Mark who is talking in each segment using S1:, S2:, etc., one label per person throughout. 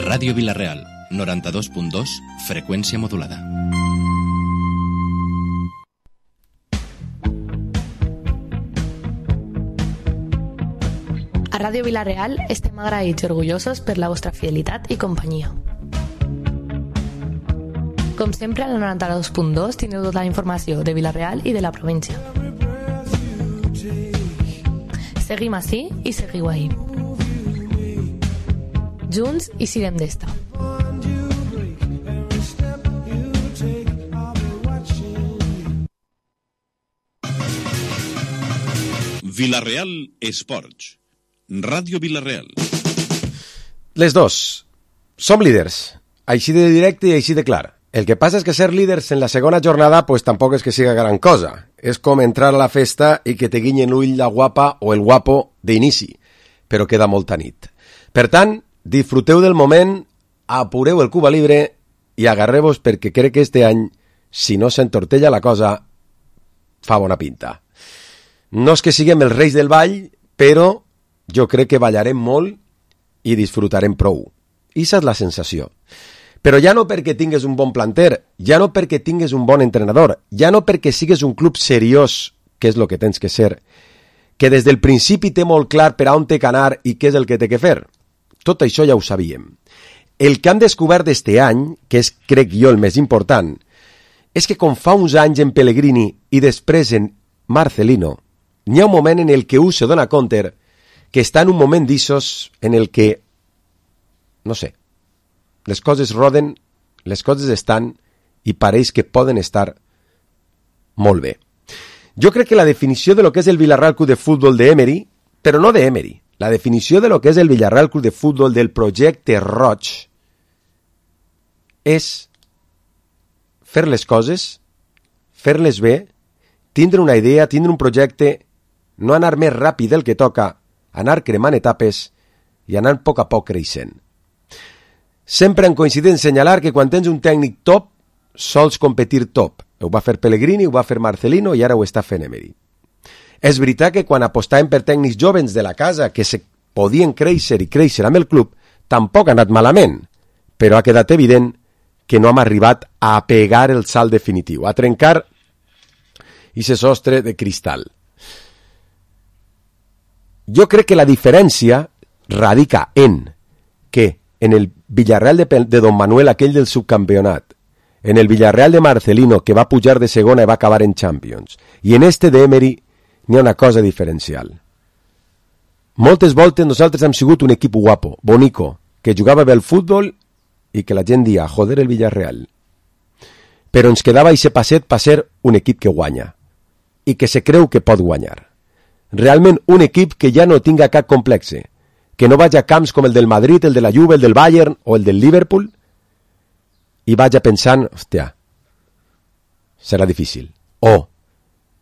S1: Ràdio Vila-real, 92.2, freqüència modulada.
S2: A Ràdio Vila-real estem agraïts i orgullosos per la vostra fidelitat i companyia. Com sempre, al 92.2 teniu tota la informació de Vila-real i de la província. Seguim ací i seguiu ahí. Junts i siguem d'esta.
S3: Vila-real Esports. Ràdio Vila-real.
S4: Les dos. Som líders. Així de directe i així de clar. El que passa és que ser líders en la segona jornada pues tampoc és que siga gran cosa. És com entrar a la festa i que te guinyen l'ull la guapa o el guapo d'inici, però queda molta nit. Per tant, disfruteu del moment, apureu el Cuba Libre i agarreu-vos perquè crec que este any, si no s'entortella la cosa, fa bona pinta. No és que siguem els reis del ball, però jo crec que ballarem molt i disfrutarem prou. Issa és la sensació. Però ja no perquè tingues un bon planter, ja no perquè tingues un bon entrenador, ja no perquè sigues un club seriós, que és el que tens que ser, que des del principi té molt clar per a on té que anar i què és el que té que fer. Tot això ja ho sabíem. El que han descobert d'este any, que és, crec jo, el més important, és que com fa uns anys en Pellegrini i després en Marcelino, n'hi ha un moment en el que un se dona compte que està en un moment d'issos en el que, no sé, les coses roden, les coses estan i pareix que poden estar molt bé. Jo crec que la definició de lo que és el Villarreal Club de Futbol d'Emery, però no d'Emery, la definició de lo que és el Villarreal Club de Futbol del projecte Roig és fer les coses, fer-les bé, tindre una idea, tindre un projecte, no anar més ràpid del que toca, anar cremant etapes i anar a poc creixent. Sempre han coincidit en assenyalar que quan tens un tècnic top, sols competir top. Ho va fer Pellegrini, ho va fer Marcelino i ara ho està fent Emery. És veritat que quan apostàvem per tècnics jovens de la casa que se podien créixer i créixer amb el club, tampoc ha anat malament, però ha quedat evident que no hem arribat a pegar el salt definitiu, a trencar ese sostre de cristal. Jo crec que la diferència radica en que en el Villarreal de Don Manuel, aquell del subcampionat, en el Villarreal de Marcelino, que va pujar de segona i va acabar en Champions, i en este de Emery n'hi ha una cosa diferencial. Moltes voltes nosaltres hem sigut un equip guapo, bonico, que jugava bé al futbol i que la gent dia, joder el Villarreal. Però ens quedava ese passet per ser un equip que guanya i que se creu que pot guanyar. Realment un equip que ja no tinga cap complexe, que no vaig a camps com el del Madrid, el de la Juve, el del Bayern o el del Liverpool i vaig pensant, hòstia, serà difícil. O,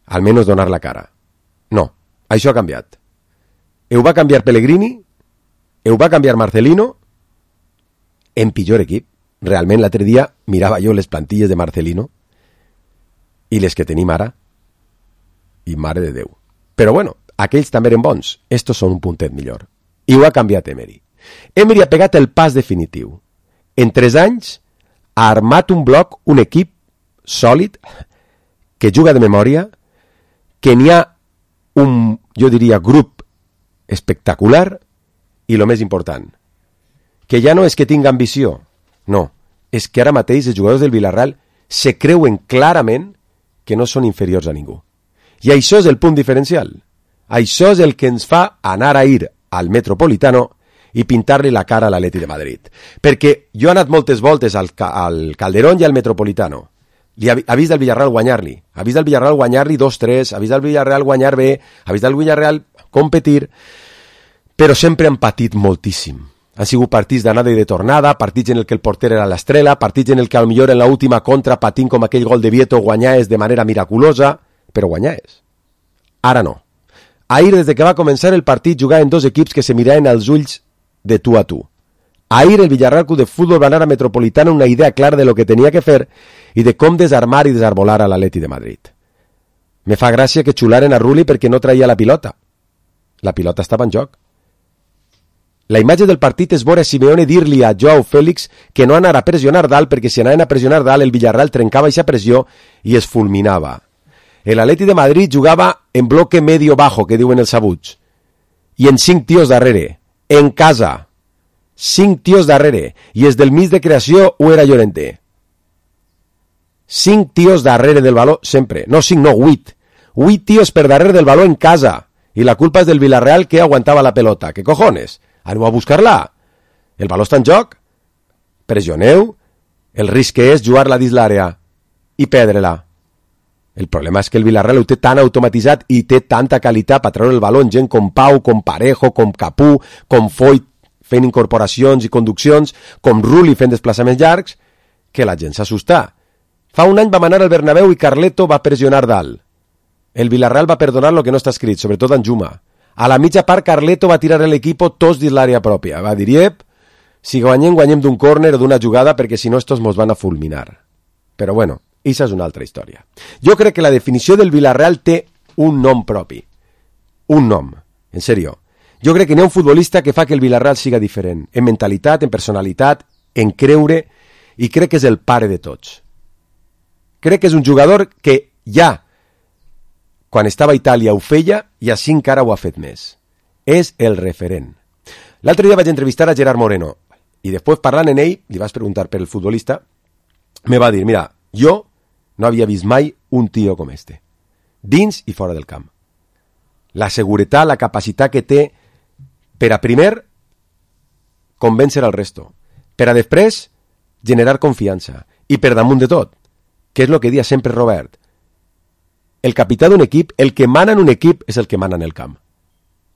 S4: almenys donar la cara. No, això ha canviat. Ho va canviar Pellegrini, ho va canviar Marcelino, en pitjor equip. Realment l'altre dia mirava jo les plantilles de Marcelino i les que tenim ara, i mare de Déu. Però bueno, aquells també eren bons, estos són un puntet millor. I ho ha canviat Emery. Emery ha pegat el pas definitiu. En 3 anys ha armat un bloc, un equip sòlid, que juga de memòria, que n'hi ha un, jo diria, grup espectacular i el més important, que ja no és que tinga ambició, no, és que ara mateix els jugadors del Villarreal se creuen clarament que no són inferiors a ningú. I això és el punt diferencial. Això és el que ens fa anar a ir al Metropolitano i pintar-li la cara a l'Atleti de Madrid. Perquè jo he anat moltes voltes al Calderón i al Metropolitano. Ha vist el Villarreal guanyar-li. Ha vist el Villarreal guanyar-li 2-3, ha vist el Villarreal guanyar bé, ha vist el Villarreal competir, però sempre han patit moltíssim. Han sigut partits d'anada i de tornada, partits en el que el porter era l'estrela, partits en el que potser en l'última contra patint com aquell gol de Vieto guanyaves de manera miraculosa, però guanyaves. Ara no. Ahir, des que va començar el partit, jugaven 2 equips que se miraven als ulls de tu a tu. Ahir el Villarreal Club de Futbol va anar a Metropolitano una idea clara de lo que tenia que fer i de com desarmar i desarbolar a l'Atleti de Madrid. Me fa gràcia que xularen a Rulli perquè no traia la pilota. La pilota estava en joc. La imatge del partit és veure Simeone dir-li a Joao Félix que no anara a pressionar dalt, perquè si anaven a pressionar dalt el Villarreal trencava aquesta pressió i es fulminava. El Atleti de Madrid jugava en bloque medio-bajo, que diuen els sabuts, i en 5 tios darrere, en casa. 5 tios darrere, i és del mig de creació o era Llorente. 5 tios darrere del baló, sempre. No 5, no, 8. 8 tios per darrere del baló en casa. I la culpa és del Villarreal que aguantava la pelota. ¿Qué cojones? Aneu a buscar-la. El baló està en joc. Pressioneu. El risc és jugar-la dins l'àrea i perdre-la. El problema és que el Villarreal ho té tan automatitzat i té tanta qualitat per treure el baló en gent com Pau, com Parejo, com Capú, com Foyt fent incorporacions i conduccions, com Rulli fent desplaçaments llargs, que la gent s'assusta. Fa un any vam anar al Bernabéu i Carleto va pressionar dalt. El Villarreal va perdonar lo que no està escrit, sobretot en Juma. A la mitja part Carleto va tirar l'equip tots dins l'àrea pròpia. Va dir, si guanyem, guanyem d'un córner o d'una jugada perquè si no estos mos van a fulminar. Però bueno, això és una altra història. Jo crec que la definició del Villarreal té un nom propi. Un nom, en sèrio. Jo crec que n'hi ha un futbolista que fa que el Villarreal siga diferent. En mentalitat, en personalitat, en creure, i crec que és el pare de tots. Crec que és un jugador que ja, quan estava a Itàlia ho feia, i així encara ho ha fet més. És el referent. L'altre dia vaig entrevistar a Gerard Moreno, i després parlant en ell, li vas preguntar per el futbolista, me va dir, mira, jo no havia vist mai un tio com este, dins i fora del camp. La seguretat, la capacitat que té per a primer convèncer al resto, per a després generar confiança, i per damunt de tot, que és el que dia sempre Robert, el capità d'un equip, el que mana en un equip és el que mana en el camp,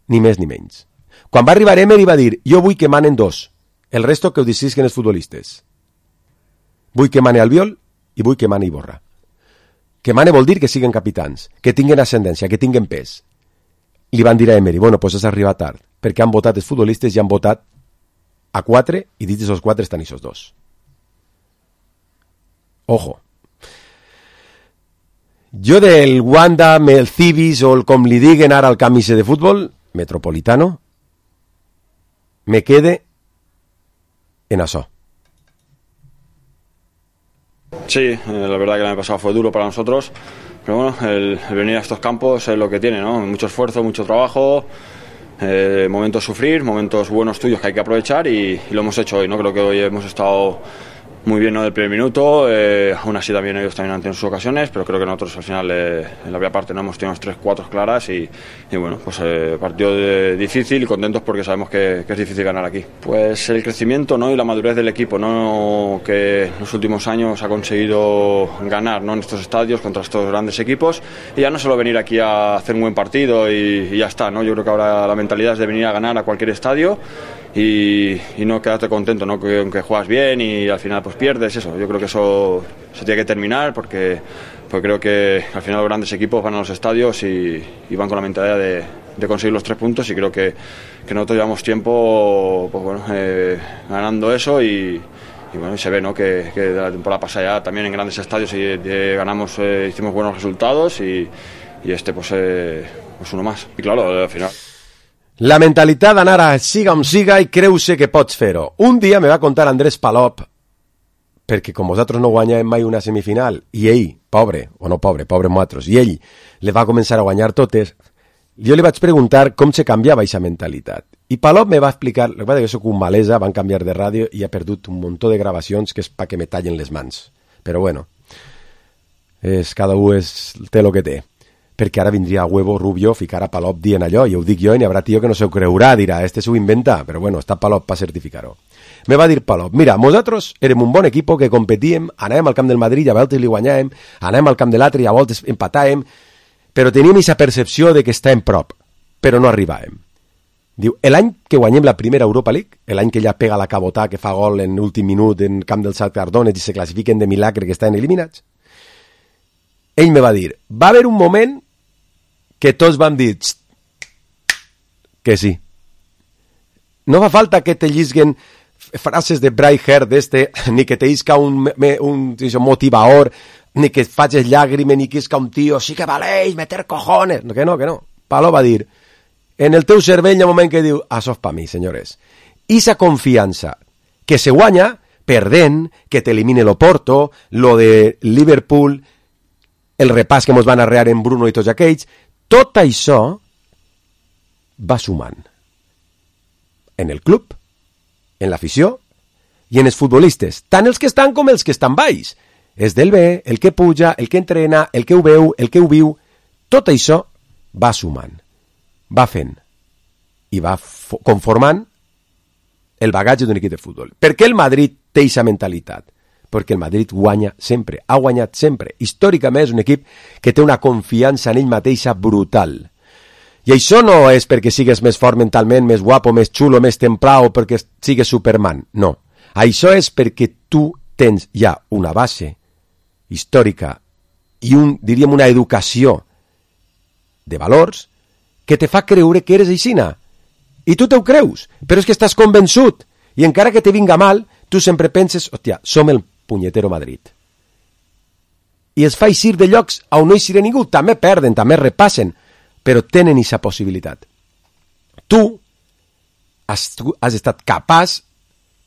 S4: ni més ni menys. Quan va arribar Emery va dir, jo vull que manen 2, el resto que ho decidisquen els futbolistes. Vull que mane Albiol i vull que mane Iborra. Que mane vol dir que siguin capitans, que tinguen ascendència, que tinguen pes. Li van dir a Emery, bueno, pues has arribat tard, perquè han votat els futbolistes i han votat a 4 i dins d'aquests 4 estan aquests 2. Ojo. Jo del Wanda, el Cibis o el com li diguen ara al camp de futbol, Metropolitano, me quede en això.
S5: Sí, la verdad que el año pasado fue duro para nosotros, pero bueno, el venir a estos campos es lo que tiene, ¿no? Mucho esfuerzo, mucho trabajo, momentos sufrir, momentos buenos tuyos que hay que aprovechar y lo hemos hecho hoy, ¿no? Creo que hoy hemos estado muy bien, ¿no? Del primer minuto, aún así también ellos también han tenido sus ocasiones, pero creo que nosotros al final en la primera parte no hemos tenido 3-4 claras y bueno, pues partido difícil y contentos porque sabemos que es difícil ganar aquí. Pues el crecimiento, ¿no? Y la madurez del equipo, ¿no? Que en los últimos años ha conseguido ganar, ¿no? En estos estadios contra estos grandes equipos y ya no solo venir aquí a hacer un buen partido y ya está, ¿no? Yo creo que ahora la mentalidad es de venir a ganar a cualquier estadio y no quedarte contento, ¿no? Que aunque juegas bien y al final pues pierdes, eso. Yo creo que eso se tiene que terminar porque creo que al final los grandes equipos van a los estadios y van con la mentalidad de conseguir los 3 puntos y creo que nosotros llevamos tiempo pues bueno, ganando eso y bueno, y se ve, ¿no? Que la temporada pasada ya también en grandes estadios ganamos, hicimos buenos resultados y este pues uno más. Y claro, al final...
S4: La mentalitat d'anar a siga on siga i creu-se que pots fer-ho. Un dia me va contar Andrés Palop, perquè com vosaltres no guanyàvem mai una semifinal, i ell, pobre, o no pobre, pobre nosaltres, i ell le va començar a guanyar totes, jo li vaig preguntar com se canviava aquesta mentalitat. I Palop me va explicar, el que passa que jo soc un malesa, van canviar de ràdio i ha perdut un muntó de gravacions que és pa que me tallen les mans. Però bueno, cada un té el que té. Perquè ara vindria a Huevo Rubio ficar a Palop dient allò, i ho dic jo, i n'hi haurà tio que no s'ho creurà, dirà, este s'ho inventa, però bueno, està Palop per certificar-ho. Me va dir Palop, mira, nosaltres érem un bon equip que competíem, anàvem al camp del Madrid i a voltes li guanyàvem, anàvem al camp de l'altre i a voltes empatàvem, però teníem aquesta percepció de que estàvem prop, però no arribàvem. Diu, l'any que guanyem la primera Europa League, l'any que ella pega la cabotà que fa gol en l'últim minut en camp del Shakhtar Donetsk i se classifiquen de milagre que estan eliminats, ell me va dir, va haver un moment que tots van dir que sí. No fa falta que te llisguen frases de Bright Hair ni que te isca un motivador, ni que facis llàgrimes, ni que isca un tio, sí que valeix meter cojones. Que no. Palo va dir, en el teu cervell hi ha un moment que diu, això és per mi, senyores. I sa confiança que se guanya perdent, que t'elimine l'Oporto, lo de Liverpool, el repàs que mos van arrear en Bruno i tots aquells, tot això va sumant en el club, en l'afició i en els futbolistes, tant els que estan com els que estan baix. És del bé, el que puja, el que entrena, el que ho veu, el que ho viu, tot això va sumant, va fent i va conformant el bagatge d'un equip de futbol. Per què el Madrid té aquesta mentalitat? Perquè el Madrid guanya sempre, ha guanyat sempre. Històricament és un equip que té una confiança en ell mateixa brutal. I això no és perquè sigues més fort mentalment, més guapo, més xulo, més templat o perquè sigues Superman. No. Això és perquè tu tens ja una base històrica i diríem una educació de valors que te fa creure que eres aixina. I tu t'ho creus, però és que estàs convençut. I encara que te vinga mal, tu sempre penses, hòstia, som el punyetero Madrid. I es fa eixir de llocs on no eixirà ningú. També perden, també repassen, però tenen aquesta possibilitat. Tu has estat capaç,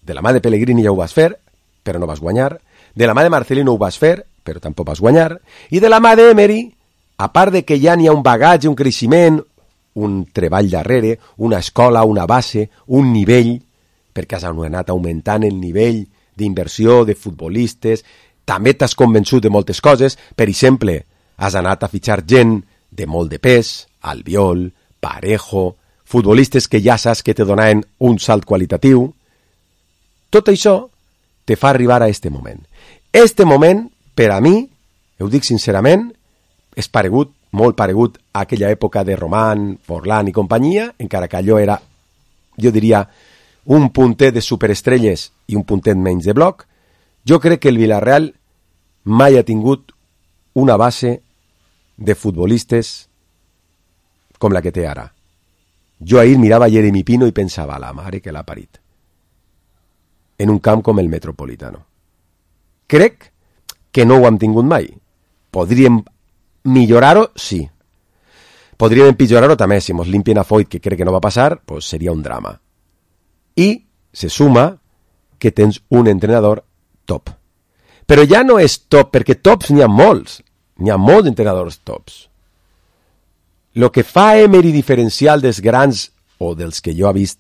S4: de la mà de Pellegrini ja ho vas fer, però no vas guanyar, de la mà de Marcelino ho vas fer, però tampoc vas guanyar, i de la mà d'Emery, a part de que ja n'hi ha un bagatge, un creixement, un treball darrere, una escola, una base, un nivell, perquè has anat augmentant el nivell d'inversió de futbolistes, també t'has convençut de moltes coses, per exemple, has anat a fitxar gent de molt de pes, Albiol, Parejo, futbolistes que ja saps que te donaven un salt qualitatiu. Tot això te fa arribar a este moment. Este moment, per a mi, ho dic sincerament, és paregut, molt paregut a aquella època de Román, Forlán i companyia, encara que allò era, jo diria, un puntet de superestrelles i un puntet menys de bloc. Jo crec que el Villarreal mai ha tingut una base de futbolistes com la que té ara. Jo ahir mirava Jeremy Pino i pensava, la mare que l'ha parit, en un camp com el Metropolitano. Crec que no ho hem tingut mai. Podríem millorar-ho? Sí. Podríem empitjorar-ho també. Si mos limpien a Foyt, que crec que no va passar, pues seria un drama. I se suma que tens un entrenador top. Però ja no és top, perquè tops n'hi ha molts. N'hi ha molts entrenadors tops. Lo que fa Emery diferencial dels grans, o dels que jo he vist,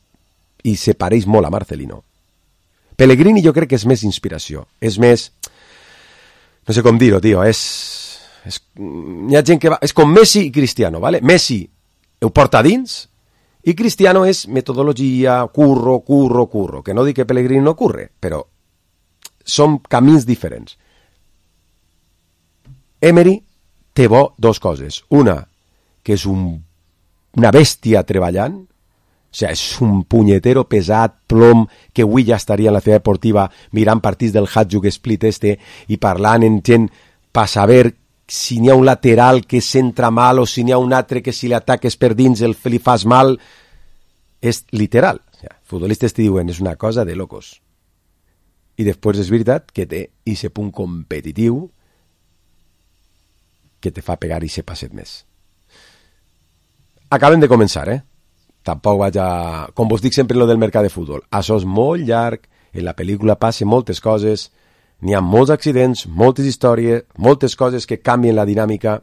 S4: i se pareix molt a Marcelino. Pellegrini jo crec que és més inspiració. És més... No sé com dir-ho, tio. Hi ha gent que va... És com Messi i Cristiano, ¿vale? Messi ho porta dins i Cristiano és metodologia, curro. Que no dic que Pellegrini no curre, però són camins diferents. Emery té bo dos coses. Una, que és una bèstia treballant, o sigui, és un punyetero pesat, plom, que avui ja estaria en la ciutat deportiva mirant partits del Hajduk Split i parlant en gent per saber si n'hi ha un lateral que s'entra mal o si n'hi ha un altre que si l'ataques per dins li fas mal. És literal. O sigui, futbolistes te diuen, és una cosa de locos. I després és veritat que té ese punt competitiu que te fa pegar ese passet més. Acabem de començar, Tampoc vaig a... Com vos dic sempre lo del mercat de futbol, això és molt llarg, en la pel·lícula passen moltes coses, n'hi ha molts accidents, moltes històries, moltes coses que canvien la dinàmica,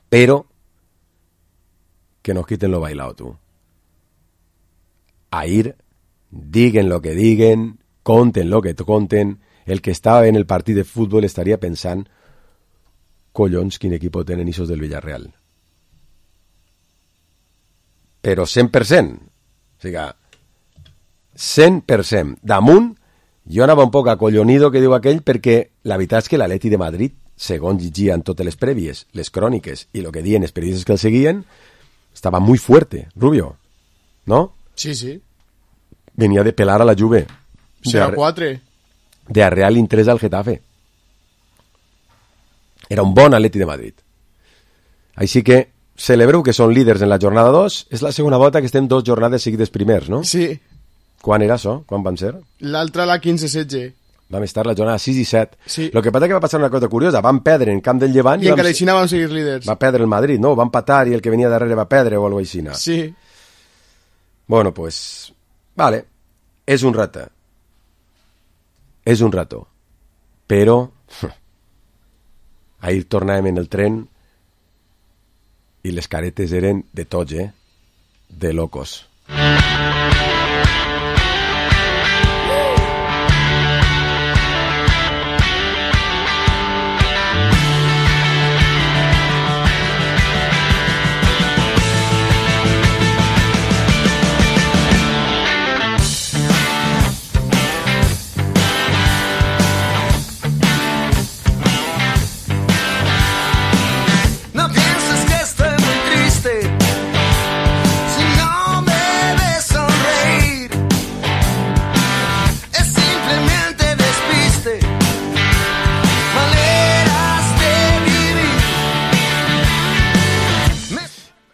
S4: però que no quiten lo bailao, tu. Ahir, diguen lo que diguen, conten lo que conten, el que estava en el partit de futbol estaria pensant, collons, quin equip tenen ixos del Villarreal. Però 100%. O sigui, 100%. Damunt, jo anava un poc acollonido, que diu aquell, perquè la veritat és que l'Atleti de Madrid, segons llegia en totes les prèvies, les cròniques i el que diuen els periodistes que el seguien, estava muy fuerte, Rubio. ¿No?
S6: Sí, sí.
S4: Venía de pelar a la Juve.
S6: 0-4.
S4: De Arreal in 3 al Getafe. Era un bon Atleti de Madrid. Així que celebreu que són líders en la jornada 2. És la segona volta que estem 2 jornades seguides primers, no?
S6: Sí.
S4: Quan era això? Quan van ser?
S6: L'altra la 15-16.
S4: Vam estar la jornada 6 i 7.
S6: Sí.
S4: Lo que passa que va passar una cosa curiosa. Van perdre en camp del Llevant
S6: i encara així vam seguir líders.
S4: Va perdre el Madrid, no? Van patar i el que venia darrere va perdre o alguna cosa així.
S6: Sí.
S4: Bueno, pues... Vale, és un rato. És un rato. Però... ahir tornàvem en el tren i les caretes eren de tots, de locos.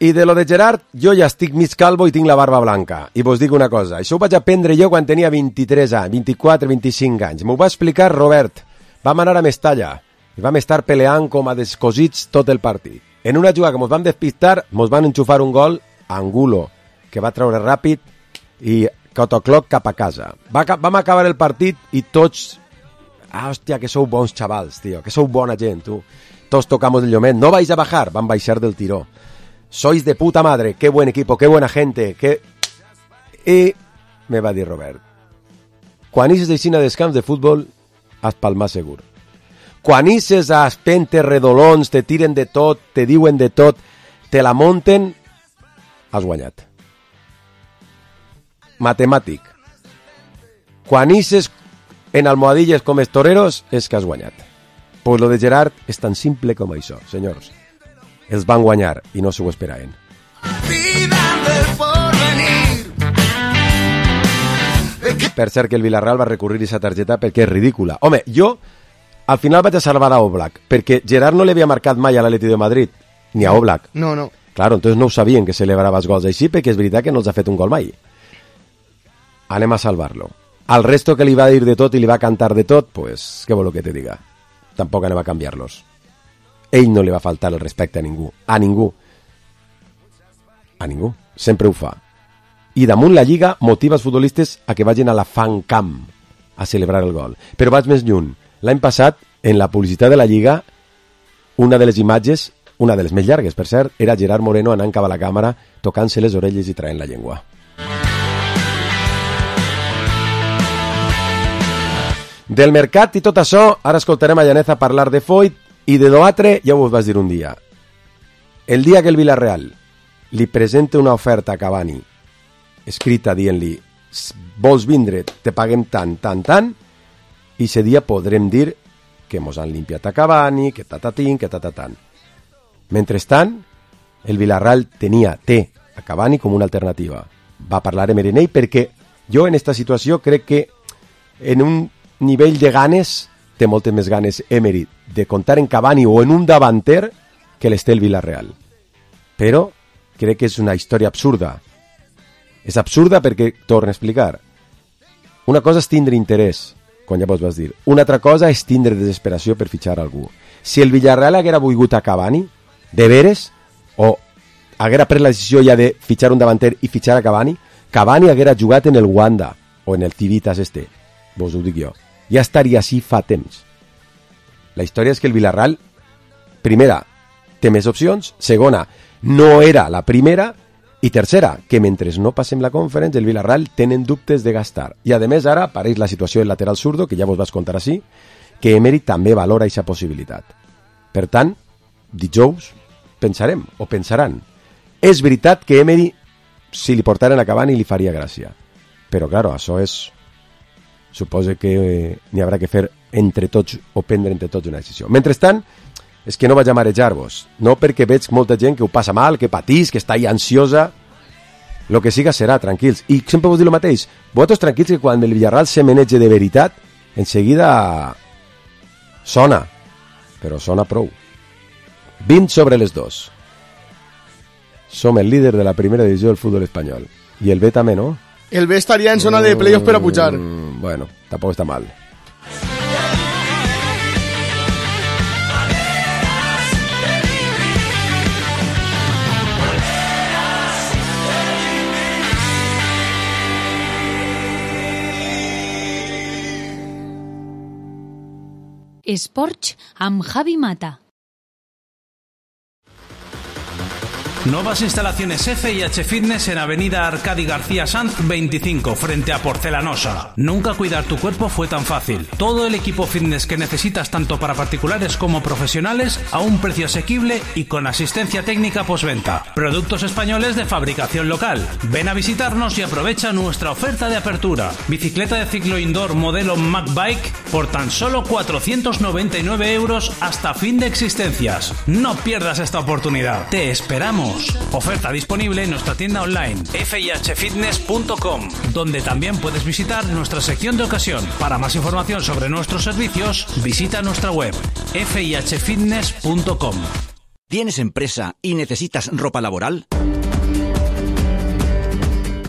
S4: I de lo de Gerard, jo ja estic mig calvo i tinc la barba blanca. I vos dic una cosa, això ho vaig aprendre jo quan tenia 23 anys, 24, 25 anys. M'ho va explicar Robert. Vam anar a Mestalla i vam estar peleant com a descosits tot el partit. En una jugada que mos vam despistar, mos van enxufar un gol a Angulo, que va treure ràpid i cotocloc cap a casa. Vam acabar el partit i tots... hòstia, que sou bons xavals, tio, que sou bona gent, tu. Tots tocamos el llomet. No vais a bajar, van baixar del tiró. Sois de puta madre, qué buen equipo, qué buena gente, qué... I me va dir Robert, quan ixes d'eixina dels camps de futbol, has palmar segur. Quan ixes a espentes redolons, te tiren de tot, te diuen de tot, te la monten, has guanyat. Matemàtic. Quan ixes en almohadilles com els toreros, és que has guanyat. Pues lo de Gerard és tan simple com això, senyors. Els van guanyar i no s'ho esperaven. Per cert que el Villarreal va recurrir a aquesta targeta perquè és ridícula. Home, jo al final vaig a salvar a Oblak, perquè Gerard no li havia marcat mai a l'Atleti de Madrid, ni a Oblak.
S6: No.
S4: Claro, entonces no ho sabien que celebrava els gols així, perquè és veritat que no els ha fet un gol mai. Anem a salvar-lo. Al resto que li va dir de tot i li va cantar de tot, pues, què vol que te diga? Tampoc anem a canviar-los. Ell no li va faltar el respecte a ningú. A ningú. A ningú. Sempre ho fa. I damunt la Lliga motiva els futbolistes a que vagin a la fan camp a celebrar el gol. Però vaig més lluny. L'any passat, en la publicitat de la Lliga, una de les imatges, una de les més llargues, per cert, era Gerard Moreno anant cap a la càmera, tocant-se les orelles i traient la llengua. Del mercat i tot això, ara escoltarem a Llaneza parlar de Foyt i de l'altre, ja ho vas dir un dia. El dia que el Villarreal li presenta una oferta a Cavani, escrita dient-li, vols vindre, te paguem tant, i ese dia podrem dir que mos han limpiat a Cavani, que tatatín, que tatatán. Mentrestant, el Villarreal té a Cavani com una alternativa. Va parlar amb Erinei perquè jo en esta situació crec que en un nivell de ganes té moltes més ganes Emery de comptar en Cavani o en un davanter que les té el Villarreal. Però crec que és una història absurda. És absurda perquè, torno a explicar, una cosa és tindre interès, quan ja vos vas dir, una altra cosa és tindre desesperació per fitxar algú. Si el Villarreal haguera volgut a Cavani, de veres, o haguera pres la decisió ja de fitxar un davanter i fitxar a Cavani, Cavani haguera jugat en el Wanda o en el Civitas vos ho dic jo. Ja estaria així fa temps. La història és que el Villarreal, primera, té més opcions, segona, no era la primera, i tercera, que mentre no passem la Conference, el Villarreal tenen dubtes de gastar. I a més ara apareix la situació del lateral zurdo, que ja vos vas contar així, que Emery també valora aquesta possibilitat. Per tant, dijous pensarem, o pensaran. És veritat que Emery, si li portaren a Cavani, li faria gràcia. Però, claro, això és... Suposo que n'hi haurà que fer entre tots o prendre entre tots una decisió. Mentrestant, és que no vaig a marejar-vos. No perquè veig molta gent que ho passa mal, que patís, que està ahí ansiosa. Lo que siga serà, tranquils. I sempre vos dic el mateix. Vosaltres tranquils que quan el Villarreal se menege de veritat, enseguida sona. Però sona prou. 20 sobre les 2. Som el líder de la primera divisió del futbol espanyol. I el B també, no?
S6: El B estaria en zona de playoff per a pujar.
S4: Bueno, tampoc està mal.
S7: Esports amb Javi Mata.
S8: Nuevas instalaciones FIH Fitness en Avenida Arcadi García Sanz 25, frente a Porcelanosa. Nunca cuidar tu cuerpo fue tan fácil. Todo el equipo fitness que necesitas tanto para particulares como profesionales a un precio asequible y con asistencia técnica postventa. Productos españoles de fabricación local. Ven a visitarnos y aprovecha nuestra oferta de apertura. Bicicleta de ciclo indoor modelo MacBike por tan solo 499 € hasta fin de existencias. No pierdas esta oportunidad. Te esperamos. Oferta disponible en nuestra tienda online fihfitness.com, donde también puedes visitar nuestra sección de ocasión. Para más información sobre nuestros servicios, visita nuestra web fihfitness.com.
S9: ¿Tienes empresa y necesitas ropa laboral?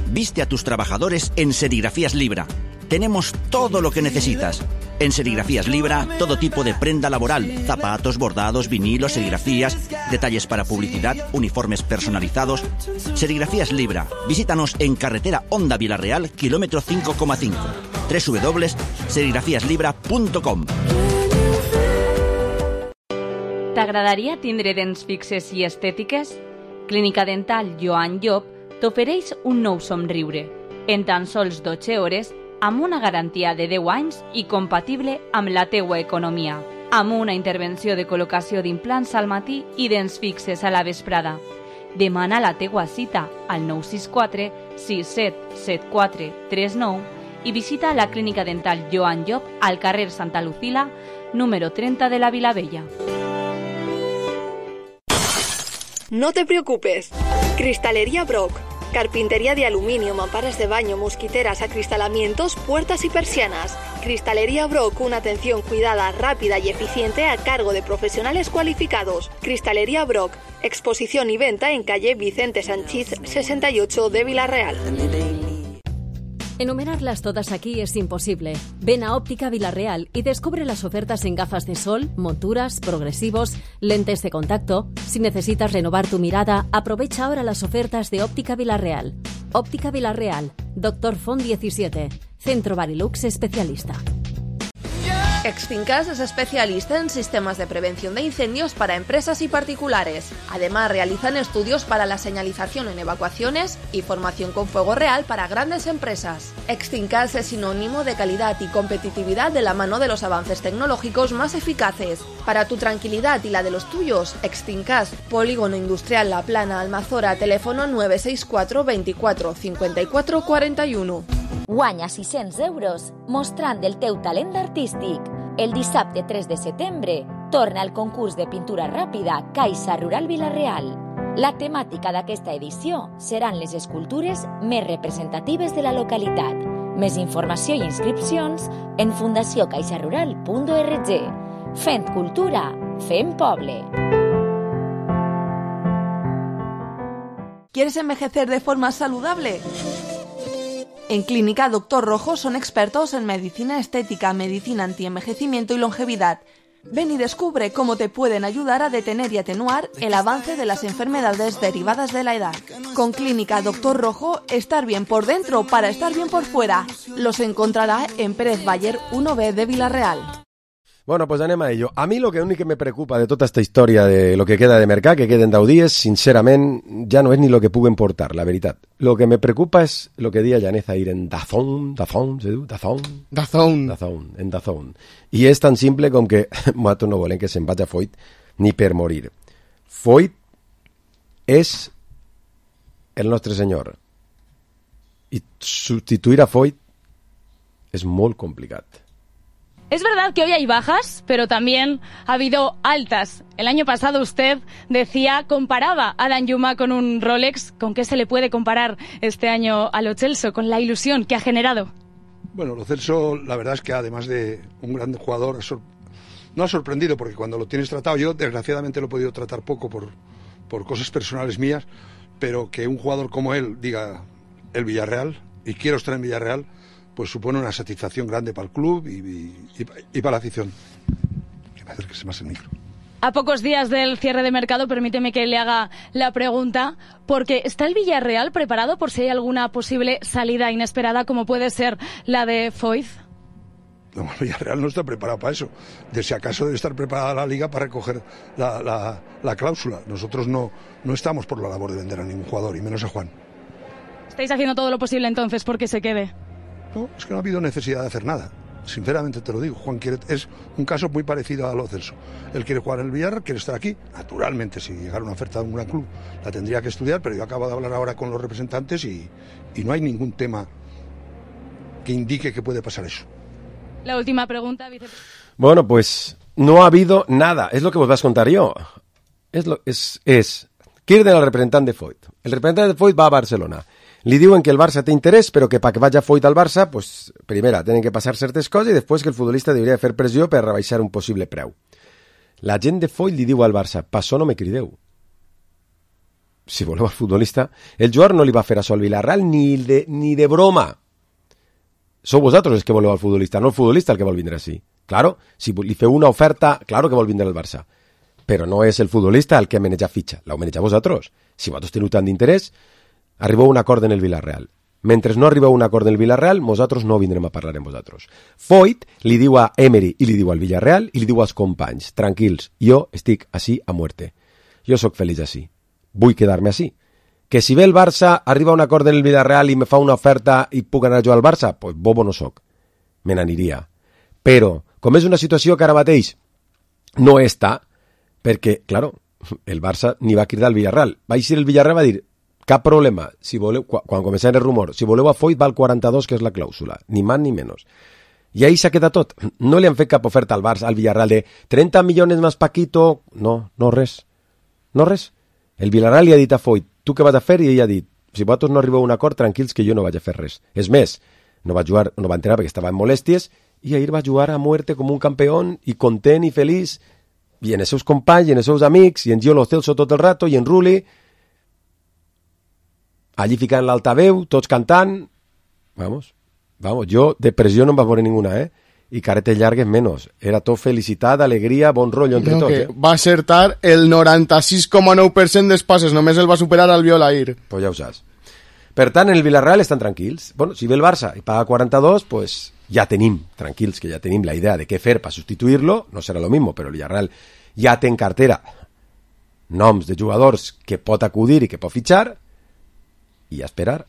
S9: Viste a tus trabajadores en Serigrafías Libra. Tenemos todo lo que necesitas. En Serigrafías Libra, todo tipo de prenda laboral, zapatos, bordados, vinilos, serigrafías, detalles para publicidad, uniformes personalizados. Serigrafías Libra. Visítanos en carretera Honda Vilareal, kilómetro 5,5. www.serigrafiaslibra.com.
S10: T'agradaria tindre dents fixes i estètiques? Clínica Dental Joan Llop t'ofereix un nou somriure. En tan sols 12 hores, amb una garantia de 10 anys i compatible amb la teua economia. Amb una intervenció de col·locació d'implants al matí i dents fixes a la vesprada. Demana la teua cita al 964 6774 39 i visita la Clínica Dental Joan Llop al carrer Santa Lucila, número 30 de la Vilavella.
S11: No te preocupes. Cristalería Brock. Carpintería de aluminio, mamparas de baño, mosquiteras, acristalamientos, puertas y persianas. Cristalería Brock, una atención cuidada, rápida y eficiente a cargo de profesionales cualificados. Cristalería Brock, exposición y venta en calle Vicente Sanchís 68 de Vilareal.
S12: Enumerarlas todas aquí es imposible. Ven a Óptica Vilareal y descubre las ofertas en gafas de sol, monturas, progresivos, lentes de contacto. Si necesitas renovar tu mirada, aprovecha ahora las ofertas de Óptica Vilareal. Óptica Vilareal, Dr. Font 17, Centro Barilux especialista.
S13: Exfincas es especialista en sistemas de prevención de incendios para empresas y particulares. Además, realizan estudios para la señalización en evacuaciones y formación con fuego real para grandes empresas. Exfincas es sinónimo de calidad y competitividad de la mano de los avances tecnológicos más eficaces. Para tu tranquilidad y la de los tuyos, Exfincas, Polígono Industrial La Plana, Almazora, teléfono 964 24 54 41.
S14: Guanya 600 € mostrant el teu talent artístic. El dissabte 3 de setembre torna al concurs de pintura ràpida Caixa Rural Vilareal. La temàtica d'aquesta edició seran les escultures més representatives de la localitat. Més informació i inscripcions en fundaciocaixarural.org. Fent cultura, fent poble.
S13: ¿Quieres envejecer de forma saludable? En Clínica Dr. Rojo son expertos en medicina estética, medicina antienvejecimiento y longevidad. Ven y descubre cómo te pueden ayudar a detener y atenuar el avance de las enfermedades derivadas de la edad. Con Clínica Dr. Rojo, estar bien por dentro para estar bien por fuera. Los encontrará en Pérez Baller 1B de Vilareal.
S4: Bueno, pues anem a ello. A mi lo que únic que me preocupa de tota esta història de lo que queda de mercat, que queden 10 dies, sincerament, ja no és ni lo que puguen portar, la veritat. Lo que me preocupa és lo que dia Janez Aire en Dazón, se diu? En Dazón. I és tan simple com que nosaltres no volem que se'n vagi a Foyt ni per morir. Foyt és el nostre senyor. I substituir a Foyt és molt complicat.
S15: Es verdad que hoy hay bajas, pero también ha habido altas. El año pasado usted decía, comparaba a Danjuma con un Rolex. ¿Con qué se le puede comparar este año a Lo Celso, con la ilusión que ha generado?
S16: Bueno, Lo Celso, la verdad es que además de un gran jugador, no ha sorprendido, porque cuando lo tienes tratado, yo desgraciadamente lo he podido tratar poco por cosas personales mías, pero que un jugador como él diga el Villarreal, y quiero estar en Villarreal, pues supone una satisfacción grande para el club y para la afición. Que me acerques más el micro.
S15: A pocos días del cierre de mercado, permíteme que le haga la pregunta, porque ¿está el Villarreal preparado por si hay alguna posible salida inesperada como puede ser la de Foyt?
S16: No, el Villarreal no está preparado para eso. De si acaso debe estar preparada la Liga para recoger la cláusula. Nosotros no estamos por la labor de vender a ningún jugador, y menos a Juan.
S15: ¿Estáis haciendo todo lo posible entonces porque se quede?
S16: No, es que no ha habido necesidad de hacer nada. Sinceramente te lo digo. Juan es un caso muy parecido a Lo Celso. Él quiere jugar en el Villarreal, quiere estar aquí. Naturalmente, si llegara una oferta de un gran club, la tendría que estudiar, pero yo acabo de hablar ahora con los representantes y no hay ningún tema que indique que puede pasar eso.
S15: La última pregunta, vicepresidente.
S4: Bueno, pues no ha habido nada. Es lo que vos vas a contar yo. Criden al representant de Foyt. El representant de Foyt va a Barcelona. Li diuen que el Barça té interès, però que perquè vagi Foyt al Barça, pues, primera, tenen que passar certes coses i després que el futbolista hauria de fer pressió per rebaixar un possible preu. La gent de Foyt li diu al Barça, per això no me crideu. Si voleu el futbolista, el jugador no li va fer això al Villarreal ni de broma. Sou vosaltres els que voleu el futbolista, no el futbolista el que vol vindre així. Claro, si li feu una oferta, claro que vol vindre al Barça. Però no és el futbolista el que maneja fitxa, l'heu manejat vosaltres. Si vosaltres teniu tant d'interès, arribeu a un acord en el Villarreal. Mentre no arribeu a un acord en el Villarreal, nosaltres no vindrem a parlar amb vosaltres. Foyt li diu a Emery i li diu al Villarreal i li diu als companys, tranquils, jo estic així a muerte. Jo sóc feliç així. Vull quedar-me així. Que si ve el Barça, arriba a un acord en el Villarreal i me fa una oferta i puc anar jo al Barça, pues bobo no soc. Me n'aniria. Però, com és una situació que ara mateix no està, perquè, claro, el Barça ni va cridar al Villarreal. Va eixir el Villarreal va dir, cap problema, si voleu, quan començava el rumor, si voleu a Foyt val 42, que és la clàusula, ni más ni menos. I ahí s'ha quedat tot. No li han fet cap oferta al Barça, al Villarreal de 30 millones más Paquito, no res. No res. El Villarreal li ha dit a Foyt, tu què vas a fer? I ell ha dit, si vosaltres no arribeu a un acord, tranquils que jo no vaig a fer res. És més, no va entrenar perquè estava en molèsties, i ahir va jugar a muerte com un campió i content i feliç, i en els seus companys, i en els seus amics, i en Gio Lo Celso tot el rato, i en Rulli, allí ficant l'altaveu, tots cantant. Vamos, jo de pressió no em va veure ninguna, i caretes llargues menos. Era tot felicitat, alegria, bon rotllo entre tots.
S6: Va acertar el 96,9% dels passes, només el va superar al Violair.
S4: Pues ja ho saps. Per tant, en el Villarreal estan tranquils. Bueno, si ve el Barça i paga 42, pues ja tenim, tranquils, que ja tenim la idea de què fer per substituir-lo. No serà lo mismo, però el Villarreal ja té en cartera noms de jugadors que pot acudir i que pot fitxar, i a esperar.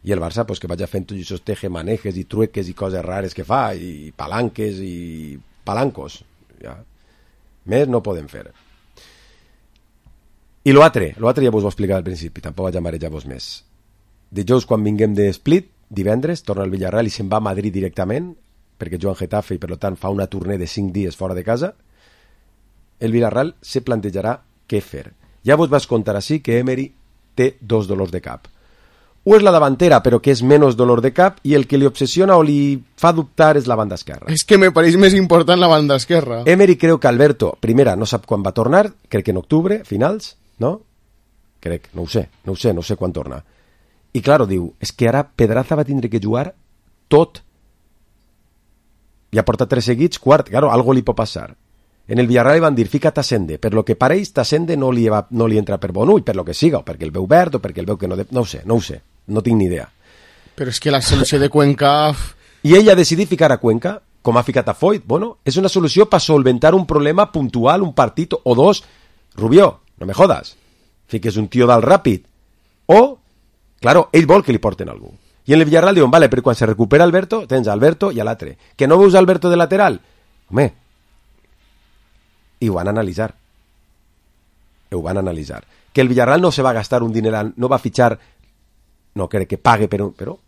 S4: I el Barça, pues, que vagi fent tots aquests tejemanejes i trueques i coses rares que fa, i palanques i palancos. Ja. Més no podem fer. I l'altre ja vos ho he explicat al principi, tampoc vaig a marejar-vos més. Dijous, quan vinguem de Split, divendres, torna al Villarreal i se'n va a Madrid directament, perquè juga en Getafe i per tant fa una tournée de 5 dies fora de casa. El Villarreal se plantejarà què fer. Ja vos vas contar així que Emery té 2 dolors de cap. O és la davantera, però que és menys dolor de cap, i el que li obsessiona o li fa dubtar és la banda esquerra.
S6: És que me pareix més important la banda esquerra.
S4: Emery creu que Alberto, primera, no sap quan va tornar, crec que en octubre, finals, no? Crec, no ho sé quan torna. I claro, diu, és que ara Pedraza va tindre que jugar tot. Ja porta 3 seguits, quart, claro, algo li pot passar. En el Villarreal van dir, fica't a Sende, per lo que pareix, Tassende no li entra per bon ull, per lo que siga, o perquè el veu verd, o perquè el veu que no... No ho sé, no tinc ni idea.
S6: Però és que la solució de Cuenca...
S4: I ell ha decidit ficar a Cuenca, com ha ficat a Foyt. Bueno, és una solució per solventar un problema puntual, un partit o dos. Rubió, no me jodas. Fiques un tio dalt ràpid. O, claro, ell vol que li porten algú. I en el Villarreal diuen, vale, però quan se recupera Alberto, tens Alberto i a l'altre. Que no veus Alberto de lateral? Home, i ho van analitzar. Que el Villarreal no se va gastar un dineral, no va fitxar, no crec que pague, però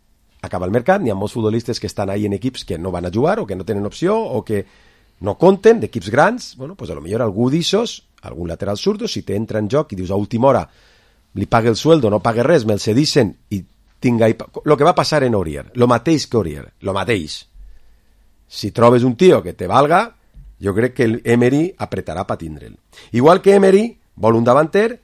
S4: acaba el mercat, n'hi ha molts futbolistes que estan ahí en equips que no van a jugar, o que no tenen opció, o que no compten, d'equips grans. Bueno, pues a lo millor algú d'ixos, algun lateral zurdo, si te entra en joc i dius a última hora, li pague el sueldo, no pague res, me'l cedixen, i tinga... Lo que va passar en Aurier, lo mateix que Aurier, lo mateix. Si trobes un tio que te valga, jo crec que el Emery apretarà per tindre'l. Igual que Emery vol un davanter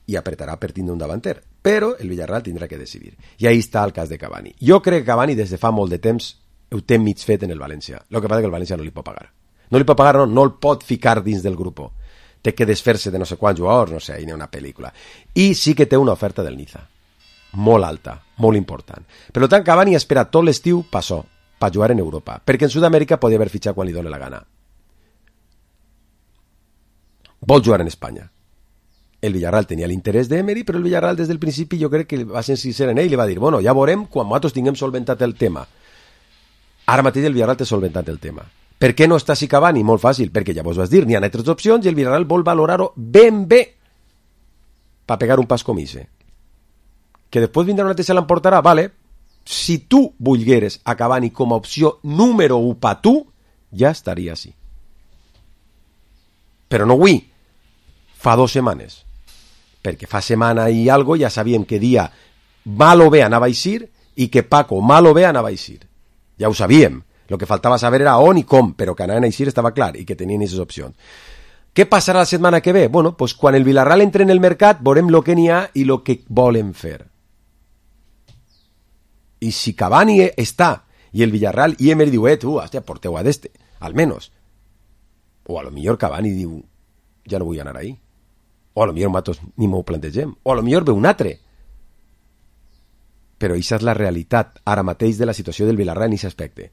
S4: i apretarà per tindre un davanter, però el Villarreal tindrà que decidir. I ahí està el cas de Cavani. Jo crec que Cavani des de fa molt de temps ho té mig fet en el València. El que passa és que el València no li pot pagar. No li pot pagar, no el pot ficar dins del grup. Té que desfer-se de no sé quants jugadors, no sé, hi ha una pel·lícula. I sí que té una oferta del Niza. Molt alta, molt important. Per tant, Cavani espera tot l'estiu per per jugar en Europa, perquè en Sud-amèrica podia haver fitxat quan li dóna la gana. Vol jugar en Espanya. El Villarreal tenia l'interès d'Emery, però el Villarreal des del principi jo crec que va ser sincer en ell i li va dir, bueno, ja veurem quan nosaltres tinguem solventat el tema. Ara mateix el Villarreal té solventat el tema. Per què no està així Cavani? Molt fàcil, perquè ja vos vas dir, n'hi ha altres opcions i el Villarreal vol valorar-ho ben bé per pegar un pas com ese. Que després vindrà una altra i se l'emportarà, vale. Si tu volgueres a Cavani com a opció número 1 per tu, ja estaria així. Però no avui, fa 2 setmanes. Perquè fa setmana i algo ja sabíem que dia mal o bé anava a eixir i que Paco mal o bé anava a eixir. Ja ho sabíem. Lo que faltava saber era on i com, però que anaven a eixir estava clar i que tenien aquestes opcions. Què passarà la setmana que ve? Bueno, pues quan el Villarreal entre en el mercat veurem lo que n'hi ha i lo que volen fer. I si Cavani està i el Villarreal i Emery diu, tu, hòstia, porteu a d'este, almenys. O a lo millor Cavani diu, ja no vull anar ahí. O a lo millor nosaltres ni m'ho plantegem. O a lo millor ve un altre. Però això és la realitat ara mateix de la situació del Villarreal en aquest aspecte.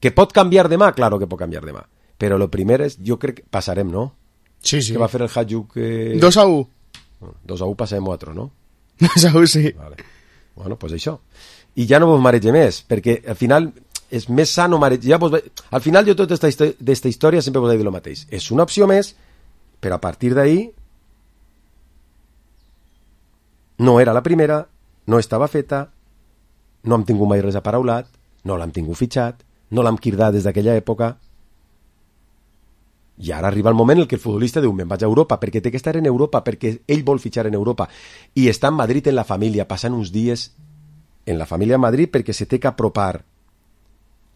S4: Que pot canviar demà? Claro que pot canviar demà. Però lo primer és, jo crec que passarem, no?
S6: Sí, sí.
S4: Que va fer el Hajduk...
S6: 2-1.
S4: 2-1 passarem a otro, no?
S6: 2-1, sí.
S4: Vale. Bueno, pues això. I ja no vos marege més, perquè al final és més sano marejar. Al final jo tota aquesta història sempre vos he dit el mateix. És una opció més, però a partir d'ahí no era la primera, no estava feta, no hem tingut mai res aparaulat, no l'hem tingut fitxat, no l'hem quirdat des d'aquella època, i ara arriba el moment en què el futbolista diu, me'n vaig a Europa, perquè té que estar en Europa, perquè ell vol fitxar en Europa, i està en Madrid en la família, passant uns dies en la família a Madrid perquè se té que apropar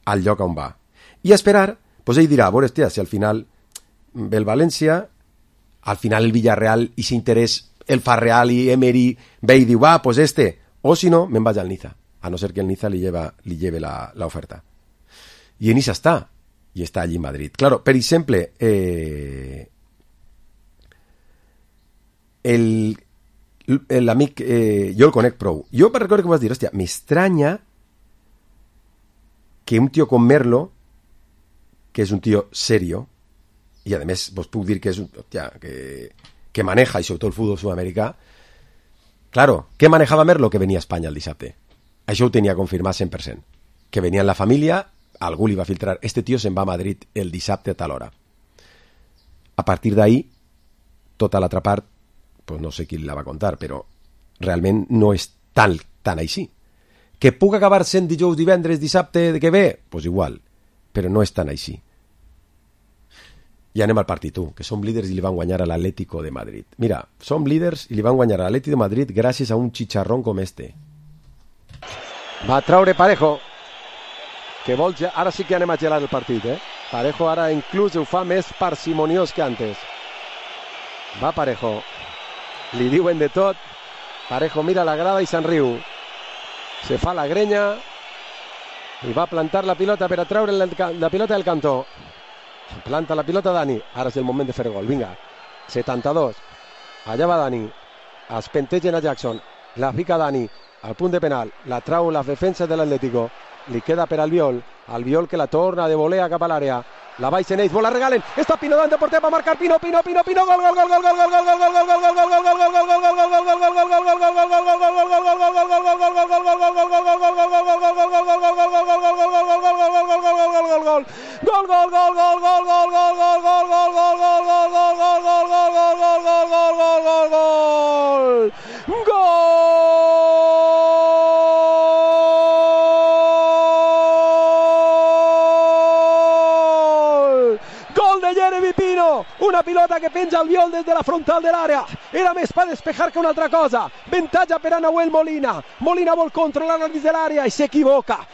S4: al lloc on va. I a esperar, doncs ell dirà, a veure, hòstia, si al final ve el València, al final el Villarreal, i s'interès el fa Real i Emery ve i diu, va, pues o si no, me'n vaig al Niza, a no ser que el Niza li lleve la oferta. I en Niza està, i està allí en Madrid. Claro, per exemple, l'amic, jo el conec prou. Jo per recordar que vas dir, hòstia, m'estranya que un tio com Merlo, que és un tio serio, i a més vos puc dir que és un hòstia, que maneja, i sobretot el futbol sud-americà, claro, què manejava Merlo? Que venia a Espanya el dissabte. Això ho tenia confirmat 100%. Que venia en la família, algú li va filtrar, este tio se'n va a Madrid el dissabte a tal hora. A partir d'ahí, tota l'altra part, pues no sé qui la va contar, però realment no és tan així. Que puc acabar sent dijous, divendres, dissabte que ve? Pues igual, però no és tan així. I anem al partit, que som líders i li van guanyar a l'Atlético de Madrid. Mira, som líders i li van guanyar a l'Atlético de Madrid gràcies a un chicharrón com este. Va traure Parejo, que vol ja... Ara sí que anem a gelar el partit, Parejo ara inclús ho fa més parsimoniós que antes. Va Parejo, li diuen de tot, Parejo mira la grada i se'n riu. Se fa la grenya i va plantar la pilota per a treure la pilota del cantó. Planta la pilota Dani, ara és el moment de fer gol, vinga, 72, allà va Dani, es pentegen a Jackson, la fica Dani, al punt de penal, la trau la defensa de l'Atlético, li queda per Albiol que la torna de volea cap a l'àrea, la baixen ells, la regalen, està Pino davant de porter, va marcar Pino, gol, una pilota que penja Albiol des de la frontal de l'àrea, era més per despejar que una altra cosa, avantatge per a Nahuel Molina vol controlar dins de l'àrea i s'equivoca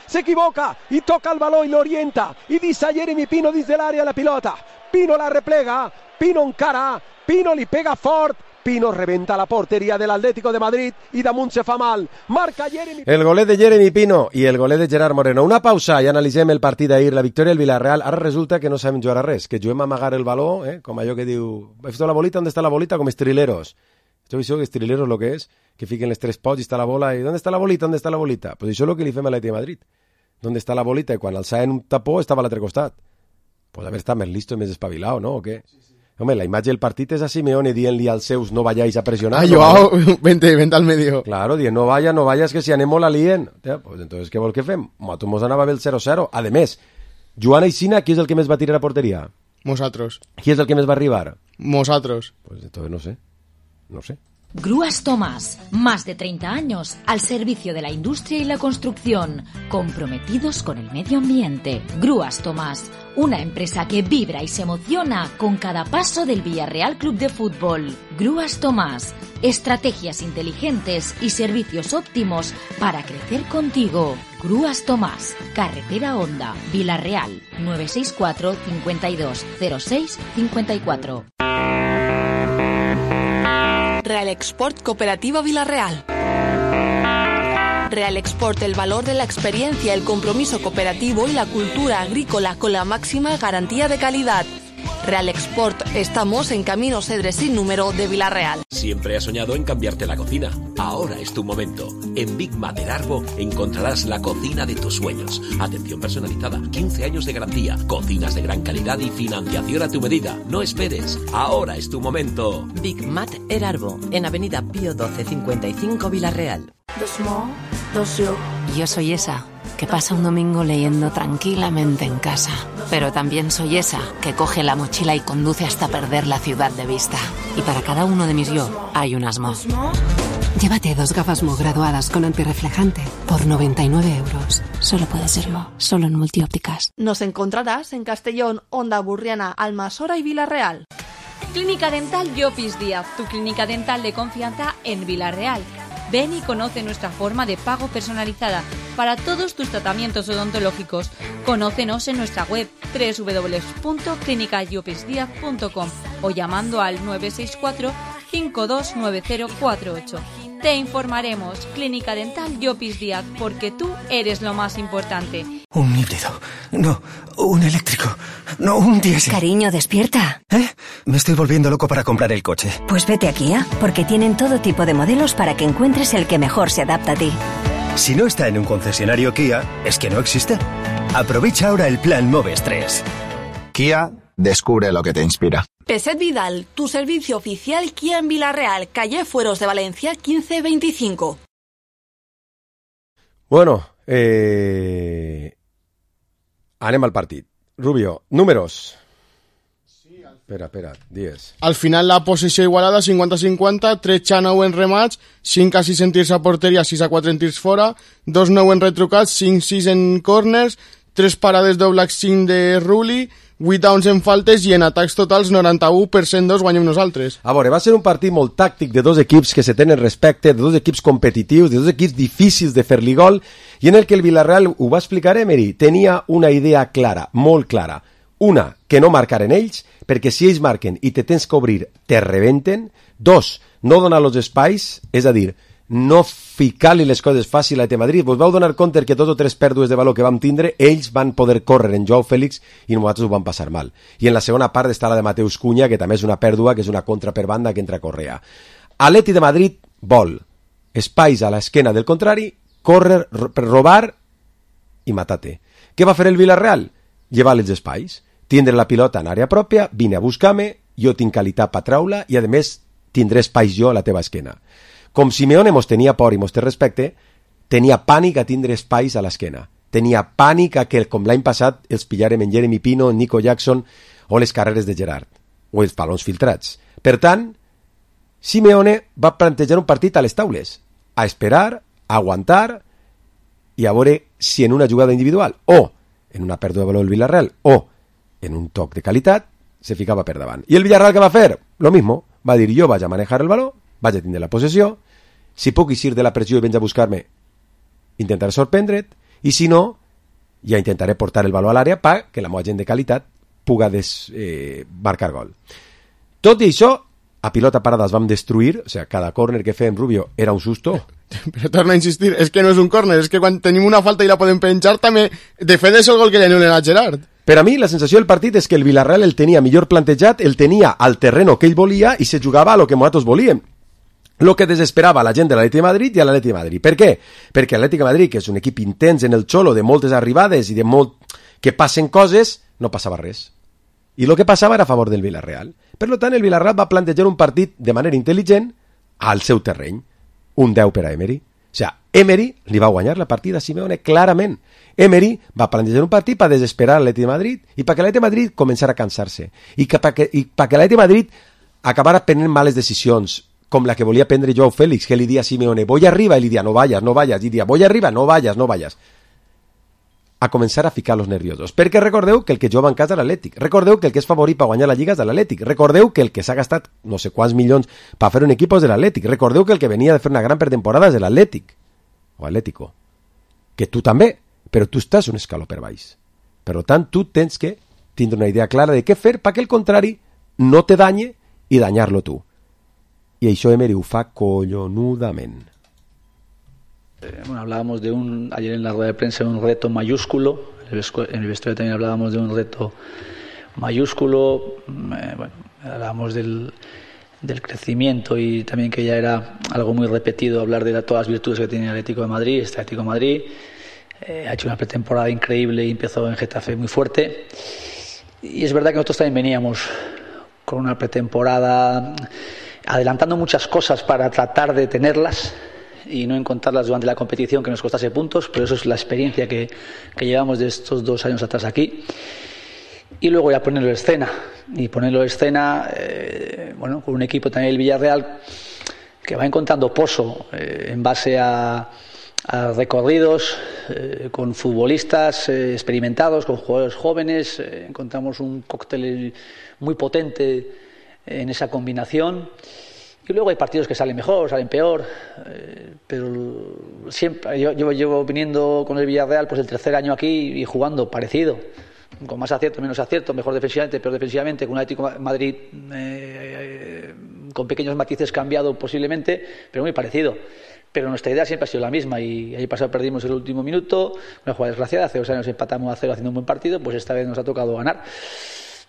S4: i toca el baló i l'orienta i deixa a Jeremy Pino dins de l'àrea la pilota, Pino la replega, Pino encara, Pino li pega fort, Pino rebenta la porteria de l'Atlético de Madrid i damunt se fa mal. Marca Jeremy... El golet de Jeremy Pino i el golet de Gerard Moreno. Una pausa i analitzem el partit d'ahir, la victòria del Villarreal. Ara resulta que no sabem jugar a res, que juguem a amagar el baló, com allò que diu... ¿Has visto la bolita? ¿Dónde está la bolita? Com estrileros. ¿Has visto que estrileros lo que és? Que fiquen les tres pots i està la bola i ¿dónde está la bolita? ¿Dónde está la bolita? Pues això és el que li fem a l'Atlètic de Madrid. on està la bolita, i quan alçaven un tapó estava a l'altre costat. Pot haver estat més listo i més espavilat, no? O què? Home, la imatge del partit és a Simeone dient-li als seus no vayáis a presionar.
S6: Joao, vente al medio.
S4: Claro, dient no vayas, que si anem la lien. Pues entonces, què vol que fem? Nosaltres mos anava bé el 0-0. A més, Joan Aixina, qui és el que més va tirar a porteria?
S6: Nosaltres.
S4: Qui és el que més va arribar?
S6: Nosaltres.
S4: Pues entonces no sé.
S14: Grúas Tomás, más de 30 años al servicio de la industria y la construcción, comprometidos con el medio ambiente. Grúas Tomás, una empresa que vibra y se emociona con cada paso del Villarreal Club de Fútbol. Grúas Tomás, estrategias inteligentes y servicios óptimos para crecer contigo. Grúas Tomás, Carretera Honda, Villarreal, 964 52 06 54.
S11: Real Export Cooperativa Villarreal. Real Export, el valor de la experiencia, el compromiso cooperativo y la cultura agrícola con la máxima garantía de calidad. Real Export, estamos en Camino Cedres sin número de Villarreal.
S17: Siempre has soñado en cambiarte la cocina. Ahora es tu momento. En Big Mat del Arbo encontrarás la cocina de tus sueños. Atención personalizada, 15 años de garantía, cocinas de gran calidad y financiación a tu medida. No esperes, ahora es tu momento.
S18: Big Mat El Arbo, en Avenida Pío 12 55 Villarreal.
S19: Yo soy esa que pasa un domingo leyendo tranquilamente en casa. Pero también soy esa que coge la mochila y conduce hasta perder la ciudad de vista. Y para cada uno de mis yo hay un Asmo.
S20: Llévate 2 gafas Mo graduadas con antirreflejante por 99 euros. Solo puede ser Mo, solo en Multiópticas.
S13: Nos encontrarás en Castellón, Onda Burriana, Almasora y Villarreal.
S10: Clínica Dental Llopis Díaz, tu clínica dental de confianza en Villarreal. Ven y conoce nuestra forma de pago personalizada para todos tus tratamientos odontológicos. Conócenos en nuestra web www.clinicallopisdiaz.com o llamando al 964 529048. Te informaremos. Clínica Dental Llopis Díaz, porque tú eres lo más importante.
S21: Un híbrido. No, un eléctrico. No, un diésel.
S22: Cariño, despierta.
S21: Me estoy volviendo loco para comprar el coche.
S22: Pues vete a Kia, porque tienen todo tipo de modelos para que encuentres el que mejor se adapta a ti.
S21: Si no está en un concesionario Kia, es que no existe. Aprovecha ahora el plan Moves 3.
S23: Kia, descubre lo que te inspira.
S11: Peset Vidal, tu servicio oficial Kia en Villarreal, calle Fueros de Valencia 1525.
S4: Bueno, anem al partit. Rubio, números. Espera, 10.
S6: Al final la possessió igualada, 50-50, 3-9 en remats, 5-6 en tirs a porteria, 6-4 en tirs fora, 2-9 en retrucats, 5-6 en corners, 3 parades d'Oblak, 5 de Rulli, 8 downs en faltes i en atacs totals 91% dos guanyem nosaltres.
S4: A veure, va ser un partit molt tàctic de dos equips que se tenen respecte, de dos equips competitius, de dos equips difícils de fer-li gol, i en el que el Villarreal, ho va explicar Emery, tenia una idea clara, molt clara. Una, que no marcaren ells, perquè si ells marquen i te tens que obrir, te rebenten. 2, no donar els espais, és a dir, no ficar-li les coses fàcil a Madrid. Vos vau donar compte que 2 o 3 pèrdues de valor que vam tindre, ells van poder córrer en Joao Félix i nosaltres ho vam passar mal. I en la segona part està la de Mateus Cunha, que també és una pèrdua, que és una contra per banda que entra a Correa. Atleti de Madrid vol espais a l'esquena del contrari, córrer per robar i matar-te. Què va fer el Villarreal? Llevar els espais, tindre la pilota en àrea pròpia, vine a buscar-me, jo tinc qualitat per traure i a més tindré espais jo a la teva esquena. Com Simeone mos tenia por i mos té respecte, tenia pànic a tindre espais a l'esquena. Tenia pànic a que, com l'any passat, els pillarem en Jeremy Pino, en Nico Jackson o les carreres de Gerard, o els balons filtrats. Per tant, Simeone va plantejar un partit a les taules, a esperar, a aguantar i a veure si en una jugada individual o en una pèrdua de valor del Villarreal o en un toc de qualitat se ficava per davant. I el Villarreal què va fer? Lo mismo, va dir jo vaig a manejar el valor, vaig a tindre la possessió, si puc eixir de la pressió i vens a buscar-me, intentaré sorprendre't, i si no, ja intentaré portar el valor a l'àrea perquè la meva gent de qualitat puga marcar gol. Tot i això, a pilota parada es vam destruir, o sigui, cada córner que fèiem Rubio era un susto.
S6: Però torno a insistir, és que no és un córner, és que quan tenim una falta i la podem penjar també de fet és el gol que li anulen a Gerard.
S4: Per a mi la sensació del partit és que el Villarreal el tenia millor plantejat, el tenia al terreno que ell volia i se jugava a lo que nosaltres volíem. el que desesperava la gent de l'Atlètic de Madrid i a l'Atlètic de Madrid. Per què? Perquè l'Atlètic de Madrid, que és un equip intens en el xolo, de moltes arribades i de molt que passen coses, no passava res. I el que passava era a favor del Villarreal. Per tant, el Villarreal va plantejar un partit de manera intel·ligent al seu terreny. Un 10 per a Emery. O sigui, Emery li va guanyar la partida a Simeone clarament. Emery va plantejar un partit per desesperar l'Atlètic de Madrid i perquè l'Atlètic de Madrid començara a cansar-se. I perquè l'Atlètic de Madrid acabara prenent males decisions, com la que volia prendre Joao Félix, que li dia a Simeone, voy arriba, i li dia, no vayas, i dia, voy arriba, no vayas. A començar a ficar los nerviosos. Perquè recordeu que el que jugava en casa és l'Atlètic. Recordeu que el que és favorit per guanyar la Lliga és de l'Atlètic. Recordeu que el que s'ha gastat no sé quants milions per fer un equip és de l'Atlètic. Recordeu que el que venia de fer una gran pretemporada és de l'Atlètic. O Atlético. Que tu també, però tu estàs un escaló per baix. Per tant, tu tens que tindre una idea clara de què fer perquè el contrari no te danye i danyar-lo tu. I això Emery ho fa collonudament.
S1: Bueno, hablábamos ayer en la rueda de prensa de un reto mayúsculo, en el vestuario también hablábamos de un reto mayúsculo, bueno, hablábamos del crecimiento y también que ya era algo muy repetido hablar de todas las virtudes que tiene el Atlético de Madrid. Este Atlético de Madrid ha hecho una pretemporada increíble y empezó en Getafe muy fuerte. Y es verdad que nosotros también veníamos con una pretemporada adelantando muchas cosas para tratar de tenerlas y no encontrarlas durante la competición que nos costase puntos, pero eso es la experiencia que llevamos de estos 2 años atrás aquí. Y luego ya ponerlo en escena, bueno, con un equipo también el Villarreal que va encontrando pozo en base a recorridos, con futbolistas experimentados, con jugadores jóvenes, encontramos un cóctel muy potente en esa combinación. Y luego hay partidos que salen mejor, salen peor, pero siempre yo llevo viniendo con el Villarreal pues el 3er año aquí y jugando parecido, con más acierto, menos acierto, mejor defensivamente, peor defensivamente, con un Atlético de Madrid con pequeños matices cambiado posiblemente, pero muy parecido. Pero nuestra idea siempre ha sido la misma y ayer pasado perdimos el último minuto, una jugada desgraciada, hace 2 años empatamos a 0 haciendo un buen partido, pues esta vez nos ha tocado ganar.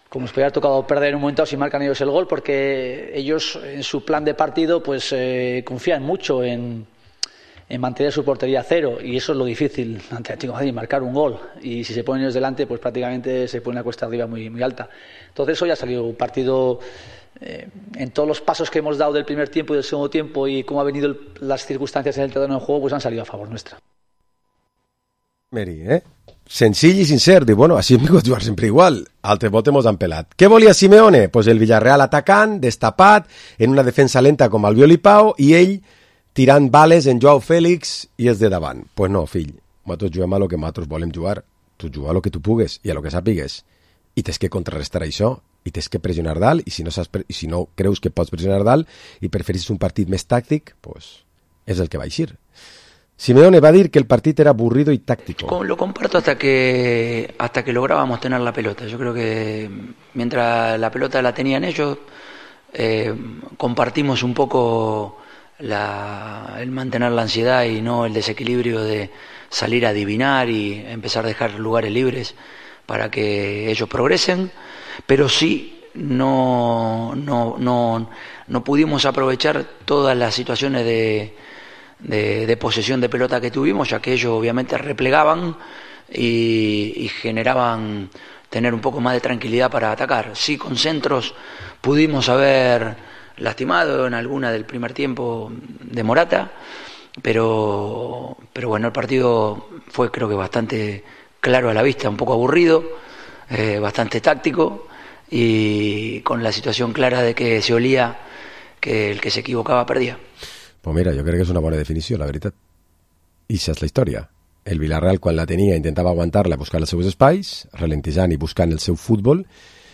S1: Como nos podría haber tocado perder en un momento si marcan ellos el gol, porque ellos en su plan de partido pues confían mucho en mantener su portería a 0 y eso es lo difícil ante el Atlético de Madrid, marcar un gol, y si se ponen ellos delante pues prácticamente se pone la cuesta arriba muy, muy alta. Entonces hoy ha salido un partido en todos los pasos que hemos dado del primer tiempo y del segundo tiempo y cómo han venido las circunstancias en el terreno de juego, pues han salido a favor nuestra.
S4: Meri, senzill i sincer, diu, bueno, així hem vingut a jugar sempre igual, altre volta mos han pelat. Què volia Simeone? Pues el Villarreal atacant, destapat, en una defensa lenta com Albiol i Pau, i ell tirant bales en Joao Félix i és de davant. Pues no, fill, nosaltres juguem a lo que nosaltres volem jugar, tu juga a lo que tu pugues i a lo que sàpigues, i tens que contrarrestar això, i tens que pressionar dalt, i si no creus que pots pressionar dalt i preferís un partit més tàctic, pues és el que va eixir. Simeone va a decir que el partido era aburrido y táctico.
S2: Lo comparto hasta que lográbamos tener la pelota. Yo creo que mientras la pelota la tenían ellos, compartimos un poco el mantener la ansiedad y no el desequilibrio de salir a adivinar y empezar a dejar lugares libres para que ellos progresen, pero sí no pudimos aprovechar todas las situaciones de posesión de pelota que tuvimos, ya que ellos obviamente replegaban y generaban tener un poco más de tranquilidad para atacar. Sí, con centros pudimos haber lastimado en alguna del primer tiempo de Morata, pero bueno, el partido fue creo que bastante claro a la vista, un poco aburrido, bastante táctico y con la situación clara de que se olía que el que se equivocaba perdía.
S4: Pues mira, jo crec que és una bona definició, la veritat. I això és la història. El Villarreal, quan la tenia, intentava aguantar-la buscant els seus espais, ralentejant i buscant el seu futbol,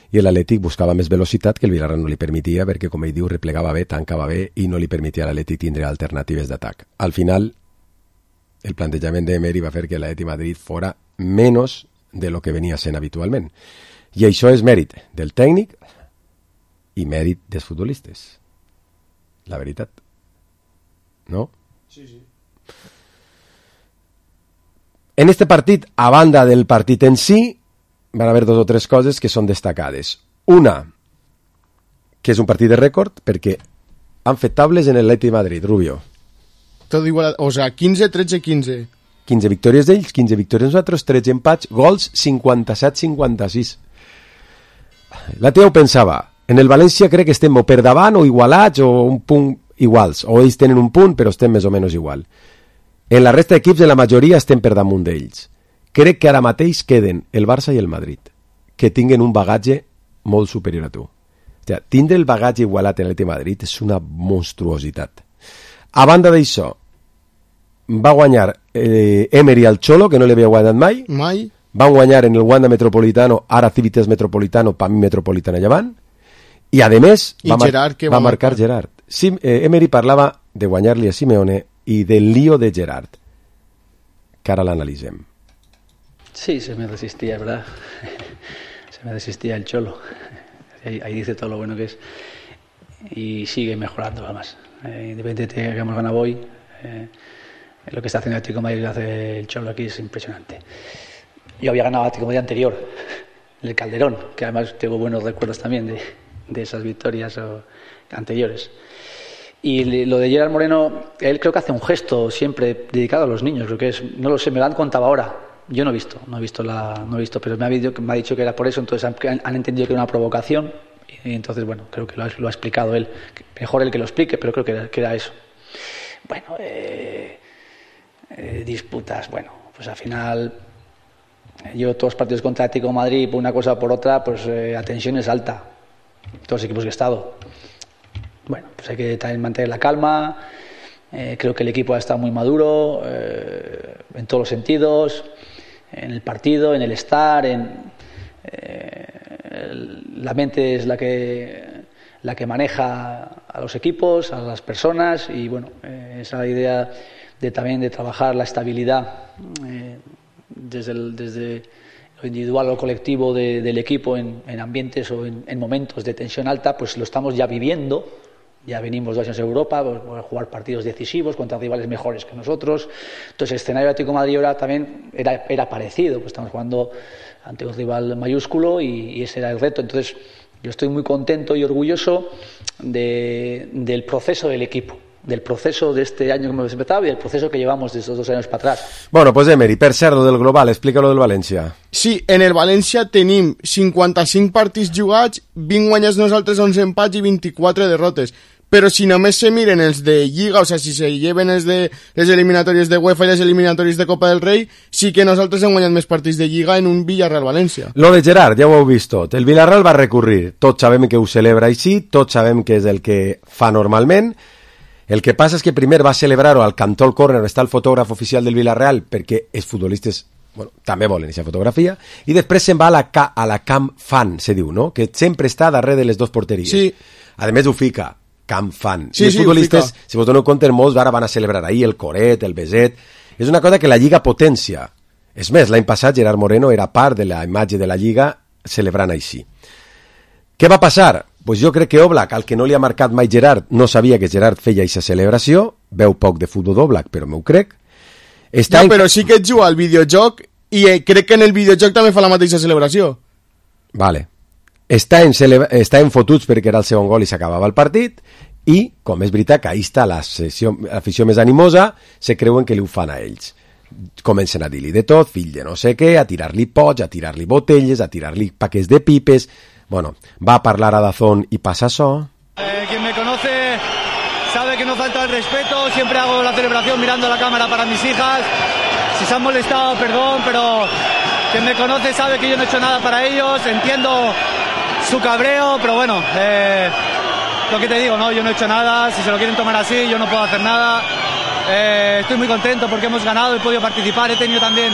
S4: i l'Atlètic buscava més velocitat que el Villarreal no li permetia, perquè, com ell diu, replegava bé, tancava bé i no li permetia a l'Atlètic tindre alternatives d'atac. Al final, el plantejament d'Emery va fer que l'Atlètic Madrid fora menys de lo que venia sent habitualment. I això és mèrit del tècnic i mèrit dels futbolistes. La veritat. ¿No?
S6: Sí, sí.
S4: En este partit, a banda del partit en si, van haver 2 o 3 coses que són destacades. Una, que és un partit de rècord, perquè han fet tables en el Atleti de Madrid, Rubio.
S6: Tot igual, o sea, 15, 13, 15.
S4: 15 victòries d'ells, 15 victòries nosaltres, 13 empats, gols 57-56. La Teo pensava, en el València crec que estem o per davant o igualats o un punt iguals, o ells tenen un punt però estem més o menys igual. En la resta d'equips, en la majoria, estem per damunt d'ells. Crec que ara mateix queden el Barça i el Madrid, que tinguen un bagatge molt superior a tu. O sigui, tindre el bagatge igualat en l'Atleti de Madrid és una monstruositat. A banda d'això, va guanyar Emery al Cholo, que no l'havia guanyat mai. Van guanyar en el Wanda Metropolitano, ara Civitas Metropolitano, per mi Metropolitano llevant. I a més va marcar Gerard. Sí, Emery parlava de guanyar-li a Simeone y del lío de Gerard, que ahora la analicem.
S1: Sí, se me resistía, ¿verdad? Se me resistía el Cholo. Ahí dice todo lo bueno que es. Y sigue mejorando, además. Independientemente de que hagamos ganado hoy, lo que está haciendo el Atlético de Madrid, lo hace el Cholo aquí, es impresionante. Yo había ganado el Atlético de Madrid anterior, el Calderón, que además tengo buenos recuerdos también de esas victorias anteriores. Y lo de Gerard Moreno, él creo que hace un gesto siempre dedicado a los niños, creo que es, no lo sé, me lo han contado ahora. Yo no he visto, pero me ha dicho que era por eso, entonces han entendido que era una provocación y entonces, bueno, creo que lo ha explicado él. Mejor él que lo explique, pero creo que era eso. Bueno, disputas, bueno, pues al final yo todos los partidos contra Atlético de Madrid, por una cosa o por otra, pues la tensión es alta, todos los equipos que he estado. Bueno, pues hay que también mantener la calma. Creo que el equipo ha estado muy maduro en todos los sentidos, en el partido, en el estar, la mente es la que maneja a los equipos, a las personas y bueno, esa idea también de trabajar la estabilidad desde lo individual o colectivo del equipo en ambientes o en momentos de tensión alta, pues lo estamos ya viviendo. Ya venimos 2 años en Europa, a jugar partidos decisivos contra rivales mejores que nosotros. Entonces el escenario de Atlético de Madrid ahora también era parecido, pues estamos jugando ante un rival mayúsculo y ese era el reto. Entonces yo estoy muy contento y orgulloso del proceso del equipo, del proceso de este año que hemos empezado y del proceso que llevamos de estos 2 años para atrás.
S4: Bueno, pues Emery, per cert, del global, explica lo del València.
S6: Sí, en el València tenim 55 partits jugats, 20 guanyats nosaltres, 11 empats i 24 derrotes. Però si només se miren els de Lliga, o sea, si se lleven els de les eliminatòries de UEFA i les eliminatòries de Copa del Rei, sí que nosaltres hem guanyat més partits de Lliga en un Villarreal-València.
S4: Lo de Gerard, ja ho heu vist tot. El Villarreal va recurrir. Tots sabem que ho celebra així, tots sabem que és el que fa normalment. El que passa és que primer va celebrar-ho al cantó al córner, està el fotògraf oficial del Villarreal, perquè els futbolistes també volen aquesta fotografia, i després se'n va a la Camp Fan, se diu, no? Que sempre està darrere de les 2 porteries.
S6: Sí.
S4: A més ho fica Camp Fan.
S6: Sí,
S4: I els futbolistes, si vos doneu compte, molts ara van a celebrar ahir el coret, el beset. És una cosa que la Lliga potència. És més, l'any passat Gerard Moreno era part de la imatge de la Lliga celebrant així. Què va passar? Pues jo crec que Oblak, al que no li ha marcat mai Gerard, no sabia que Gerard feia aquesta celebració, veu poc de futbol d'Oblak, però m'ho crec.
S6: Però sí que juga al videojoc i crec que en el videojoc també fa la mateixa celebració.
S4: Vale. Està en fotuts perquè era el segon gol i s'acabava el partit i, com és veritat que ahí està l'afició més animosa, se creuen que li ho fan a ells. Comencen a dir-li de tot, fill de no sé què, a tirar-li pots, a tirar-li botelles, a tirar-li paquets de pipes. Bueno, va a parlar a Dazón y pasa eso.
S3: Quien me conoce sabe que no falta el respeto, siempre hago la celebración mirando a la cámara para mis hijas. Si se han molestado, perdón, pero quien me conoce sabe que yo no he hecho nada para ellos, entiendo su cabreo, pero bueno, lo que te digo, no, yo no he hecho nada, si se lo quieren tomar así, yo no puedo hacer nada. Estoy muy contento porque hemos ganado, he podido participar, he tenido también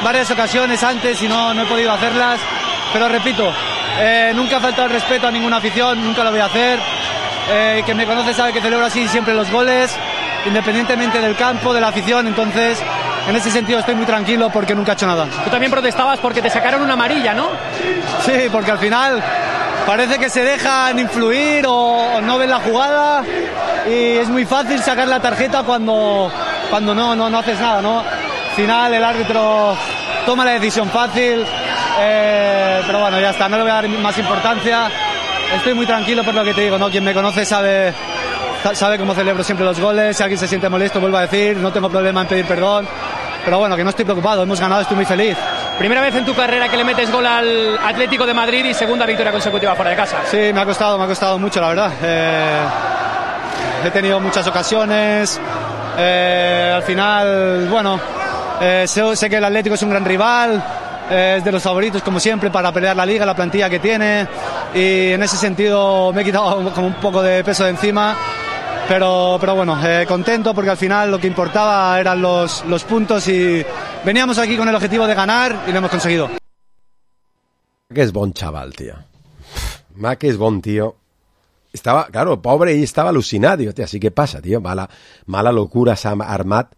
S3: varias ocasiones antes y no he podido hacerlas, pero repito, nunca ha faltado el respeto a ninguna afición, nunca lo voy a hacer. Quien me conoce sabe que celebro así siempre los goles, independientemente del campo, de la afición, entonces en ese sentido estoy muy tranquilo porque nunca he hecho nada.
S5: Tú también protestabas porque te sacaron una amarilla, ¿no?
S3: Sí, porque al final parece que se dejan influir o no ven la jugada y es muy fácil sacar la tarjeta cuando no haces nada, ¿no? Al final el árbitro toma la decisión fácil, pero bueno, ya está, no le voy a dar más importancia. Estoy muy tranquilo por lo que te digo, ¿no? Quien me conoce sabe sabe cómo celebro siempre los goles. Si alguien se siente molesto, vuelvo a decir, no tengo problema en pedir perdón. Pero bueno, que no estoy preocupado, hemos ganado, estoy muy feliz.
S5: Primera vez en tu carrera que le metes gol al Atlético de Madrid y segunda victoria consecutiva fuera de casa.
S3: Sí, me ha costado mucho, la verdad. He tenido muchas ocasiones. Al final, bueno, sé que el Atlético es un gran rival. Es de los favoritos, como siempre, para pelear la liga, la plantilla que tiene. Y en ese sentido me he quitado como un poco de peso de encima. Pero bueno, contento porque al final lo que importaba eran los puntos y veníamos aquí con el objetivo de ganar y lo hemos conseguido.
S4: Que es bon chaval, tío. Más que es bon, tío. Estaba, claro, pobre, y estaba alucinado. Digo, tío, ¿así qué pasa, tío? Mala locura s'ha armat.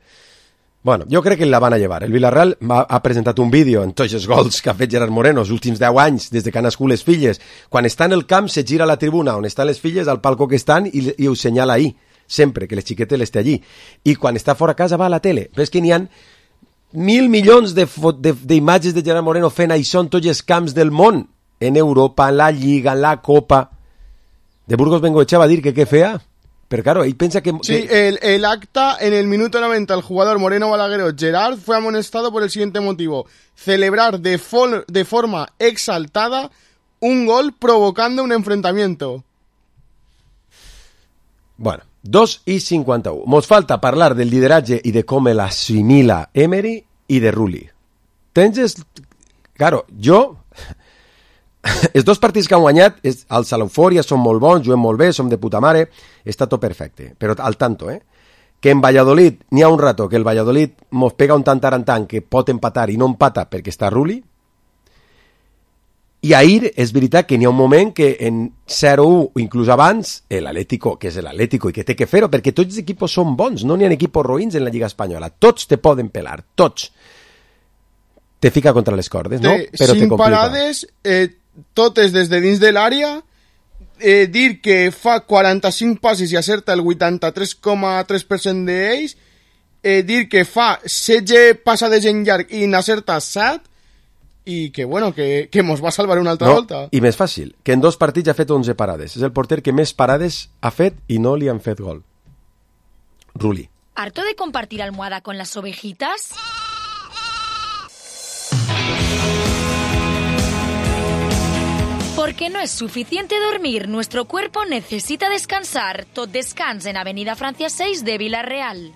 S4: Bueno, jo crec que la van a llevar. El Villarreal ha presentat un vídeo en tots els gols que ha fet Gerard Moreno els últims 10 anys, des de que han nascut les filles. Quan està en el camp, se gira a la tribuna on estan les filles, al palco que estan, i ho senyala ahí, sempre, que les xiquetes les té allí. I quan està fora casa va a la tele. Ves que n'hi ha 1.000 milions d'imatges de Gerard Moreno fent això en tots els camps del món. En Europa, en la Lliga, en la Copa. De Burgos Bengoechea va dir que què feia? Pero claro, ahí piensa que...
S6: Sí, el acta, en el minuto 90, el jugador Moreno Balagueró Gerard fue amonestado por el siguiente motivo: celebrar de forma exaltada un gol provocando un enfrentamiento.
S4: Bueno, 2:51. Mos falta parlar del lideratge i de com l'assimila Emery i de Rulli. Claro, jo... Els dos partits que han guanyat, els a l'eufòria, són molt bons, juguem molt bé, som de puta mare, està tot perfecte. Però al tanto, que en Valladolid n'hi ha un rato que el Valladolid mos pega un tant que pot empatar i no empata perquè està Rulli. I ahir és veritat que n'hi ha un moment que en 0-1 o inclús abans l'Atlético, que és l'Atlético i que té que fer-ho, perquè tots els equipos són bons, no n'hi ha equipos roïns en la Lliga Espanyola, tots te poden pelar, tots. Te fica contra les cordes, no? Però te complica.
S6: Parades, totes des de dins de l'àrea, dir que fa 45 passes i acerta el 83,3% d'ells, dir que fa 16 passades en llarg i n'acerta 7, i que, bueno, que mos va salvar una altra volta.
S4: I més fàcil, que en 2 partits ha fet 11 parades. És el porter que més parades ha fet i no li han fet gol. Rulli.
S14: ¿Harto de compartir almohada con las ovejitas? Porque no es suficiente dormir, nuestro cuerpo necesita descansar. Tot descans en Avenida Francia 6 de Villarreal.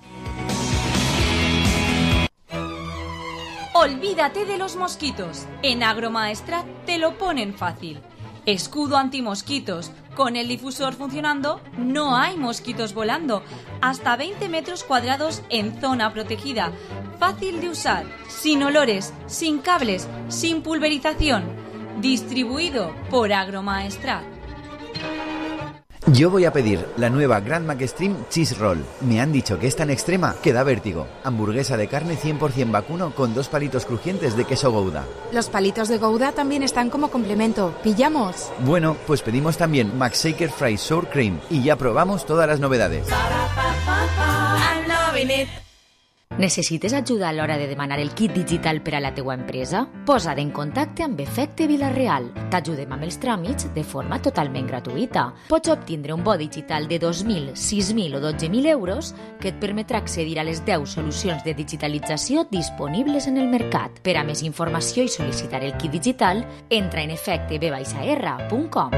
S10: Olvídate de los mosquitos. En Agromaestrat te lo ponen fácil. Escudo antimosquitos. Con el difusor funcionando, no hay mosquitos volando. Hasta 20 metros cuadrados en zona protegida. Fácil de usar, sin olores, sin cables, sin pulverización. Distribuido por Agromaestrat.
S7: Yo voy a pedir la nueva Grand Mac Extreme Cheese Roll. Me han dicho que es tan extrema que da vértigo. Hamburguesa de carne 100% vacuno con 2 palitos crujientes de queso Gouda.
S8: Los palitos de Gouda también están como complemento. ¿Pillamos?
S7: Bueno, pues pedimos también Mac Shaker Fry Sour Cream y ya probamos todas las novedades.
S14: Necessites ajuda a l'hora de demanar el kit digital per a la teua empresa? Posa't en contacte amb Efecte Vilareal. T'ajudem amb els tràmits de forma totalment gratuïta. Pots obtindre un bo digital de 2.000, 6.000 o 12.000 euros que et permetrà accedir a les 10 solucions de digitalització disponibles en el mercat. Per a més informació i sol·licitar el kit digital, entra en efectebr.com.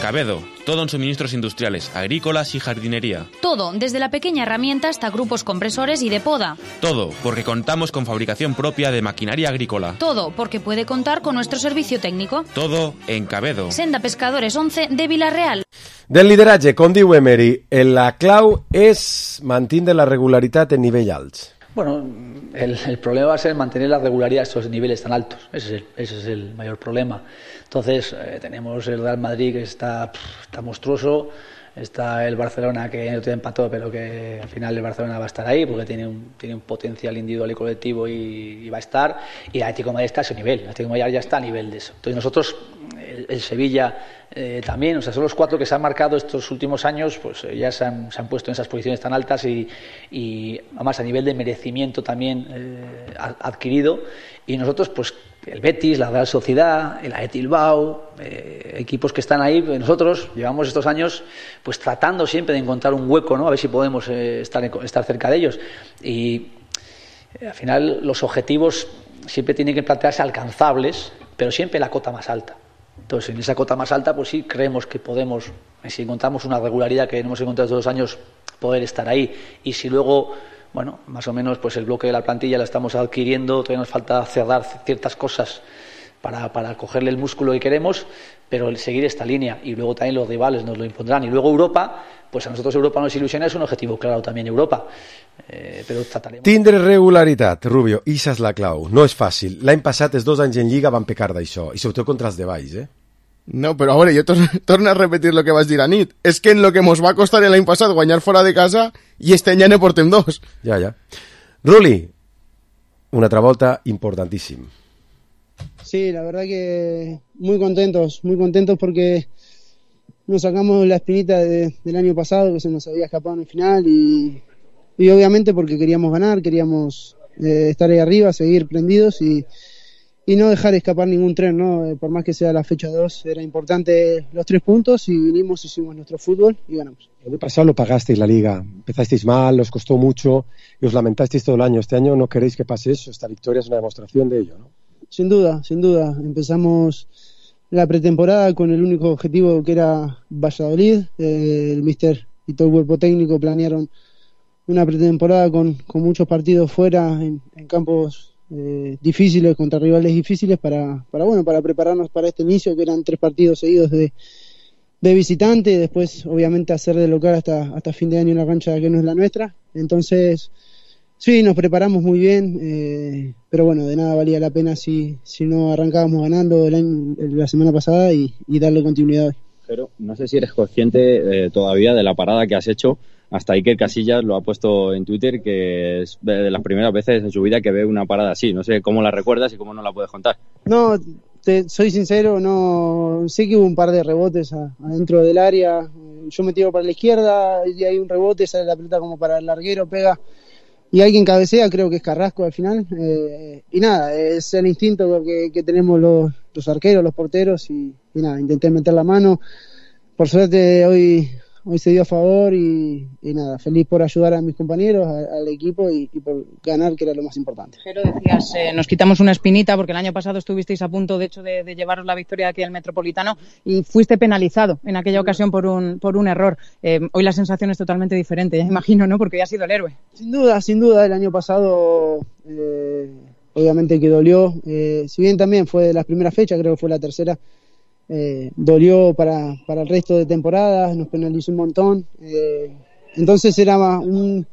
S9: Cabedo, todo en suministros industriales, agrícolas y jardinería.
S15: Todo, desde la pequeña herramienta hasta grupos compresores y de poda.
S9: Todo, porque contamos con fabricación propia de maquinaria agrícola.
S15: Todo, porque puede contar con nuestro servicio técnico.
S9: Todo en Cabedo.
S15: Senda Pescadores 11 de Villarreal.
S4: Del lideratge, com diu Emery, la clau és mantenir la regularitat en nivells alts.
S1: Bueno, el problema va a ser mantener la regularidad a estos niveles tan altos. Ese es el mayor problema. Entonces, tenemos el Real Madrid que está monstruoso, está el Barcelona que no tiene empatado, pero que al final el Barcelona va a estar ahí porque tiene un potencial individual y colectivo y va a estar. Y el Atlético de Madrid está a ese nivel, el Atlético de Madrid ya está a nivel de eso. Entonces nosotros, el Sevilla también, o sea, son los 4 que se han marcado estos últimos años, pues ya se han puesto en esas posiciones tan altas y además a nivel de merecimiento también adquirido. Y nosotros, pues el Betis, la Real Sociedad, el Athletic Bilbao, equipos que están ahí, pues nosotros llevamos estos años pues tratando siempre de encontrar un hueco, ¿no? A ver si podemos estar cerca de ellos. Y al final los objetivos siempre tienen que plantearse alcanzables, pero siempre la cota más alta. Entonces, en esa cota más alta, pues sí creemos que podemos, si encontramos una regularidad que no hemos encontrado estos 2 años, poder estar ahí. Y si luego, bueno, más o menos, pues el bloque de la plantilla la estamos adquiriendo, todavía nos falta cerrar ciertas cosas para cogerle el músculo que queremos, pero el seguir esta línea. Y luego también los rivales nos lo impondrán. Y luego Europa, pues a nosotros Europa nos ilusiona, es un objetivo claro también Europa. Però tratarem...
S4: Tindre regularitat, Rubio, ixa és la clau. No és fàcil. L'any passat, els 2 anys en Lliga van pecar d'això, i sobretot contra els de baix,
S6: No, però a veure, jo torno a repetir lo que vas dir a nit. És que en lo que mos va costar l'any passat guanyar fora de casa, i este any ja ne portem 2.
S4: Ja. Ruli, una altra volta importantíssim.
S12: Sí, la verdad que muy contentos porque nos sacamos la espinita del año pasado, que se nos había escapado en el final, y obviamente porque queríamos ganar, queríamos estar ahí arriba, seguir prendidos y no dejar escapar ningún tren, ¿no? Por más que sea la fecha 2, era importante los 3 puntos y vinimos, hicimos nuestro fútbol y ganamos.
S16: El año pasado lo pagasteis la Liga, empezasteis mal, os costó mucho y os lamentasteis todo el año. Este año no queréis que pase eso, esta victoria es una demostración de ello, ¿no?
S12: Sin duda. Empezamos la pretemporada con el único objetivo que era Valladolid. El míster y todo el cuerpo técnico planearon una pretemporada con muchos partidos fuera en campos difíciles, contra rivales difíciles para prepararnos para este inicio, que eran 3 partidos seguidos de visitante, y después obviamente hacer de local hasta fin de año una cancha que no es la nuestra. Entonces sí, nos preparamos muy bien, pero bueno, de nada valía la pena si no arrancábamos ganando la semana pasada y darle continuidad hoy.
S17: Pero no sé si eres consciente todavía de la parada que has hecho. Hasta Iker Casillas lo ha puesto en Twitter, que es de las primeras veces en su vida que ve una parada así. No sé cómo la recuerdas y cómo no la puedes contar.
S12: No, soy sincero, no sé que hubo un par de rebotes adentro del área. Yo me tiro para la izquierda y hay un rebote, sale la pelota como para el larguero, pega y alguien cabecea, creo que es Carrasco al final. Y nada, es el instinto que tenemos los arqueros, los porteros y nada, intenté meter la mano. Por suerte hoy se dio a favor y nada, feliz por ayudar a mis compañeros, al equipo y por ganar, que era lo más importante.
S24: Jero, decías, nos quitamos una espinita porque el año pasado estuvisteis a punto, de hecho, de llevaros la victoria aquí al Metropolitano y fuiste penalizado en aquella ocasión por un error. Hoy la sensación es totalmente diferente, ya imagino, ¿no? Porque ya has sido el héroe.
S12: Sin duda, el año pasado obviamente que dolió, si bien también fue de las primeras fechas, creo que fue la tercera. Dolió para el resto de temporadas, nos penalizó un montón, entonces era un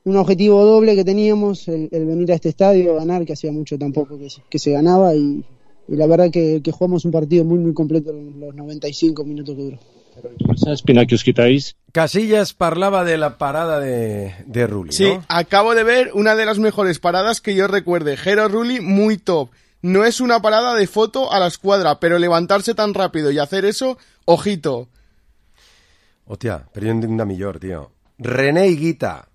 S12: objetivo doble que teníamos, el venir a este estadio, ganar, que hacía mucho tampoco que se ganaba, y la verdad que jugamos un partido muy muy completo en los 95 minutos que duró.
S16: Esa espina que os quitáis.
S4: Casillas parlaba de la parada de Rulli,
S6: sí,
S4: ¿no?
S6: Acabo de ver una de las mejores paradas que yo recuerde. Jero Rulli, muy top. No es una parada de foto a la escuadra, pero levantarse tan rápido y hacer eso, ojito.
S4: Hostia, pero yo una millor, tío. René Higuita.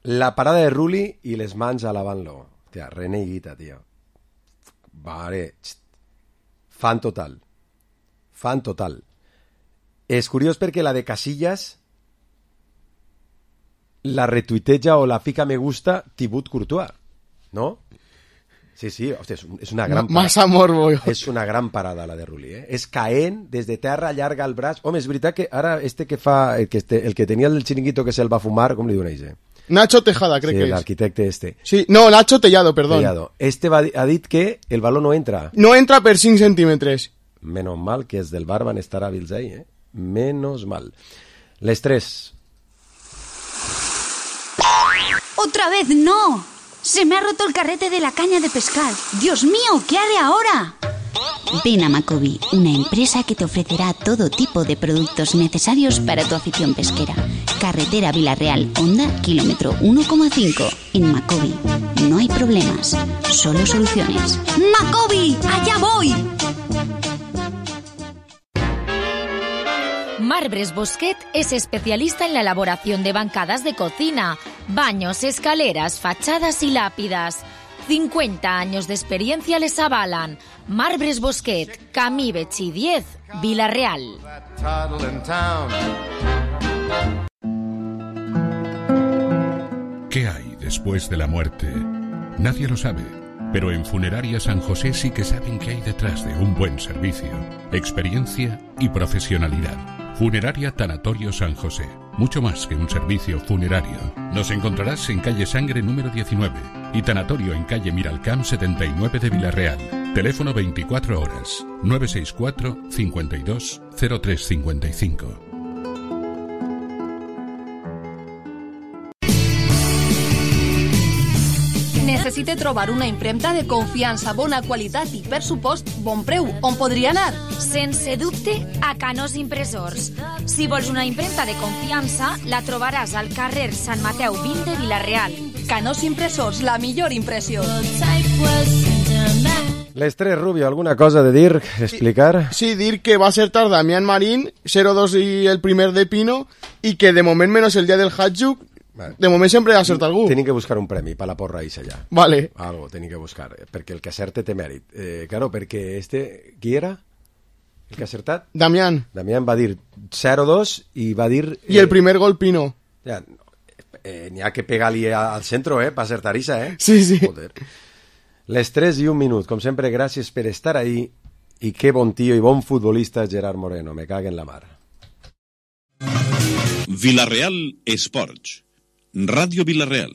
S4: La parada de Rulli y les mans alabant-lo. Hostia, René Higuita, tío. Vale. Fan total. És curiós perquè la de Casillas la retuiteja o la fica me gusta Thibaut Courtois, ¿no? Sí, hòstia, és una gran parada.
S6: Massa morbo.
S4: És una gran parada, la de Rulli, És caent, des de terra, allarga el braç. Home, és veritat que ara que fa... El que tenia el xiringuito que se'l va fumar, com li doneix,
S6: Nacho Tejada, crec que és.
S4: Sí, l'arquitecte este.
S6: Sí, no, Nacho Tellado, perdón.
S4: Ha dit que el baló no entra.
S6: No entra per 5 centímetres.
S4: Menos mal que els del bar van estar hàbils ahí, Menos mal. Les 3.
S25: ¡Otra vez no! ¡Se me ha roto el carrete de la caña de pescar! ¡Dios mío! ¿Qué haré ahora? Ven a Macobi, una empresa que te ofrecerá todo tipo de productos necesarios para tu afición pesquera. Carretera Villarreal, Honda, kilómetro 1,5. En Macobi no hay problemas, solo soluciones. ¡Macobi! ¡Allá voy!
S14: Marbres Bosquet es especialista en la elaboración de bancadas de cocina, baños, escaleras, fachadas y lápidas. 50 años de experiencia les avalan. Marbres Bosquet, Camí Betxí 10, Vila-real.
S13: ¿Qué hay después de la muerte? Nadie lo sabe, pero en Funeraria San José sí que saben qué hay detrás de un buen servicio, experiencia y profesionalidad. Funeraria Tanatorio San José, mucho más que un servicio funerario. Nos encontrarás en calle Sangre número 19 y Tanatorio en calle Miralcamp 79 de Vila-real. Teléfono 24 horas, 964 52 0355.
S11: Necessite trobar una impremta de confiança, bona qualitat i, per supost, bon preu. On podria anar?
S14: Sense dubte, a Canós Impressors. Si vols una impremta de confiança, la trobaràs al carrer Sant Mateu 20 de Vila-real.
S11: Canós Impressors, la millor impressió.
S4: L'estrès, Rubio, ¿alguna cosa de dir, explicar?
S6: Sí, dir que va a acertar Damián Marín, 0-2 y el primer de Pino, y que de moment menos el día del Hatjuk, de moment sempre ha acertat algú.
S4: Tenim que buscar un premi per la porra ixa ja.
S6: Vale.
S4: Algo tenim que buscar, perquè el que acerte té mèrit. Claro, perquè qui era? El que ha acertat?
S6: Damián.
S4: Damián va dir 0-2 i va dir...
S6: I el primer gol Pino.
S4: Ja, n'hi ha que pegar-li al centro, per acertar ixa,
S6: Sí, sí.
S4: Joder. Les 3 i 1 minut. Com sempre, gràcies per estar ahí i que bon tio i bon futbolista Gerard Moreno. Me cague en la mar.
S18: Vila-real Esports. Ràdio Vila-real.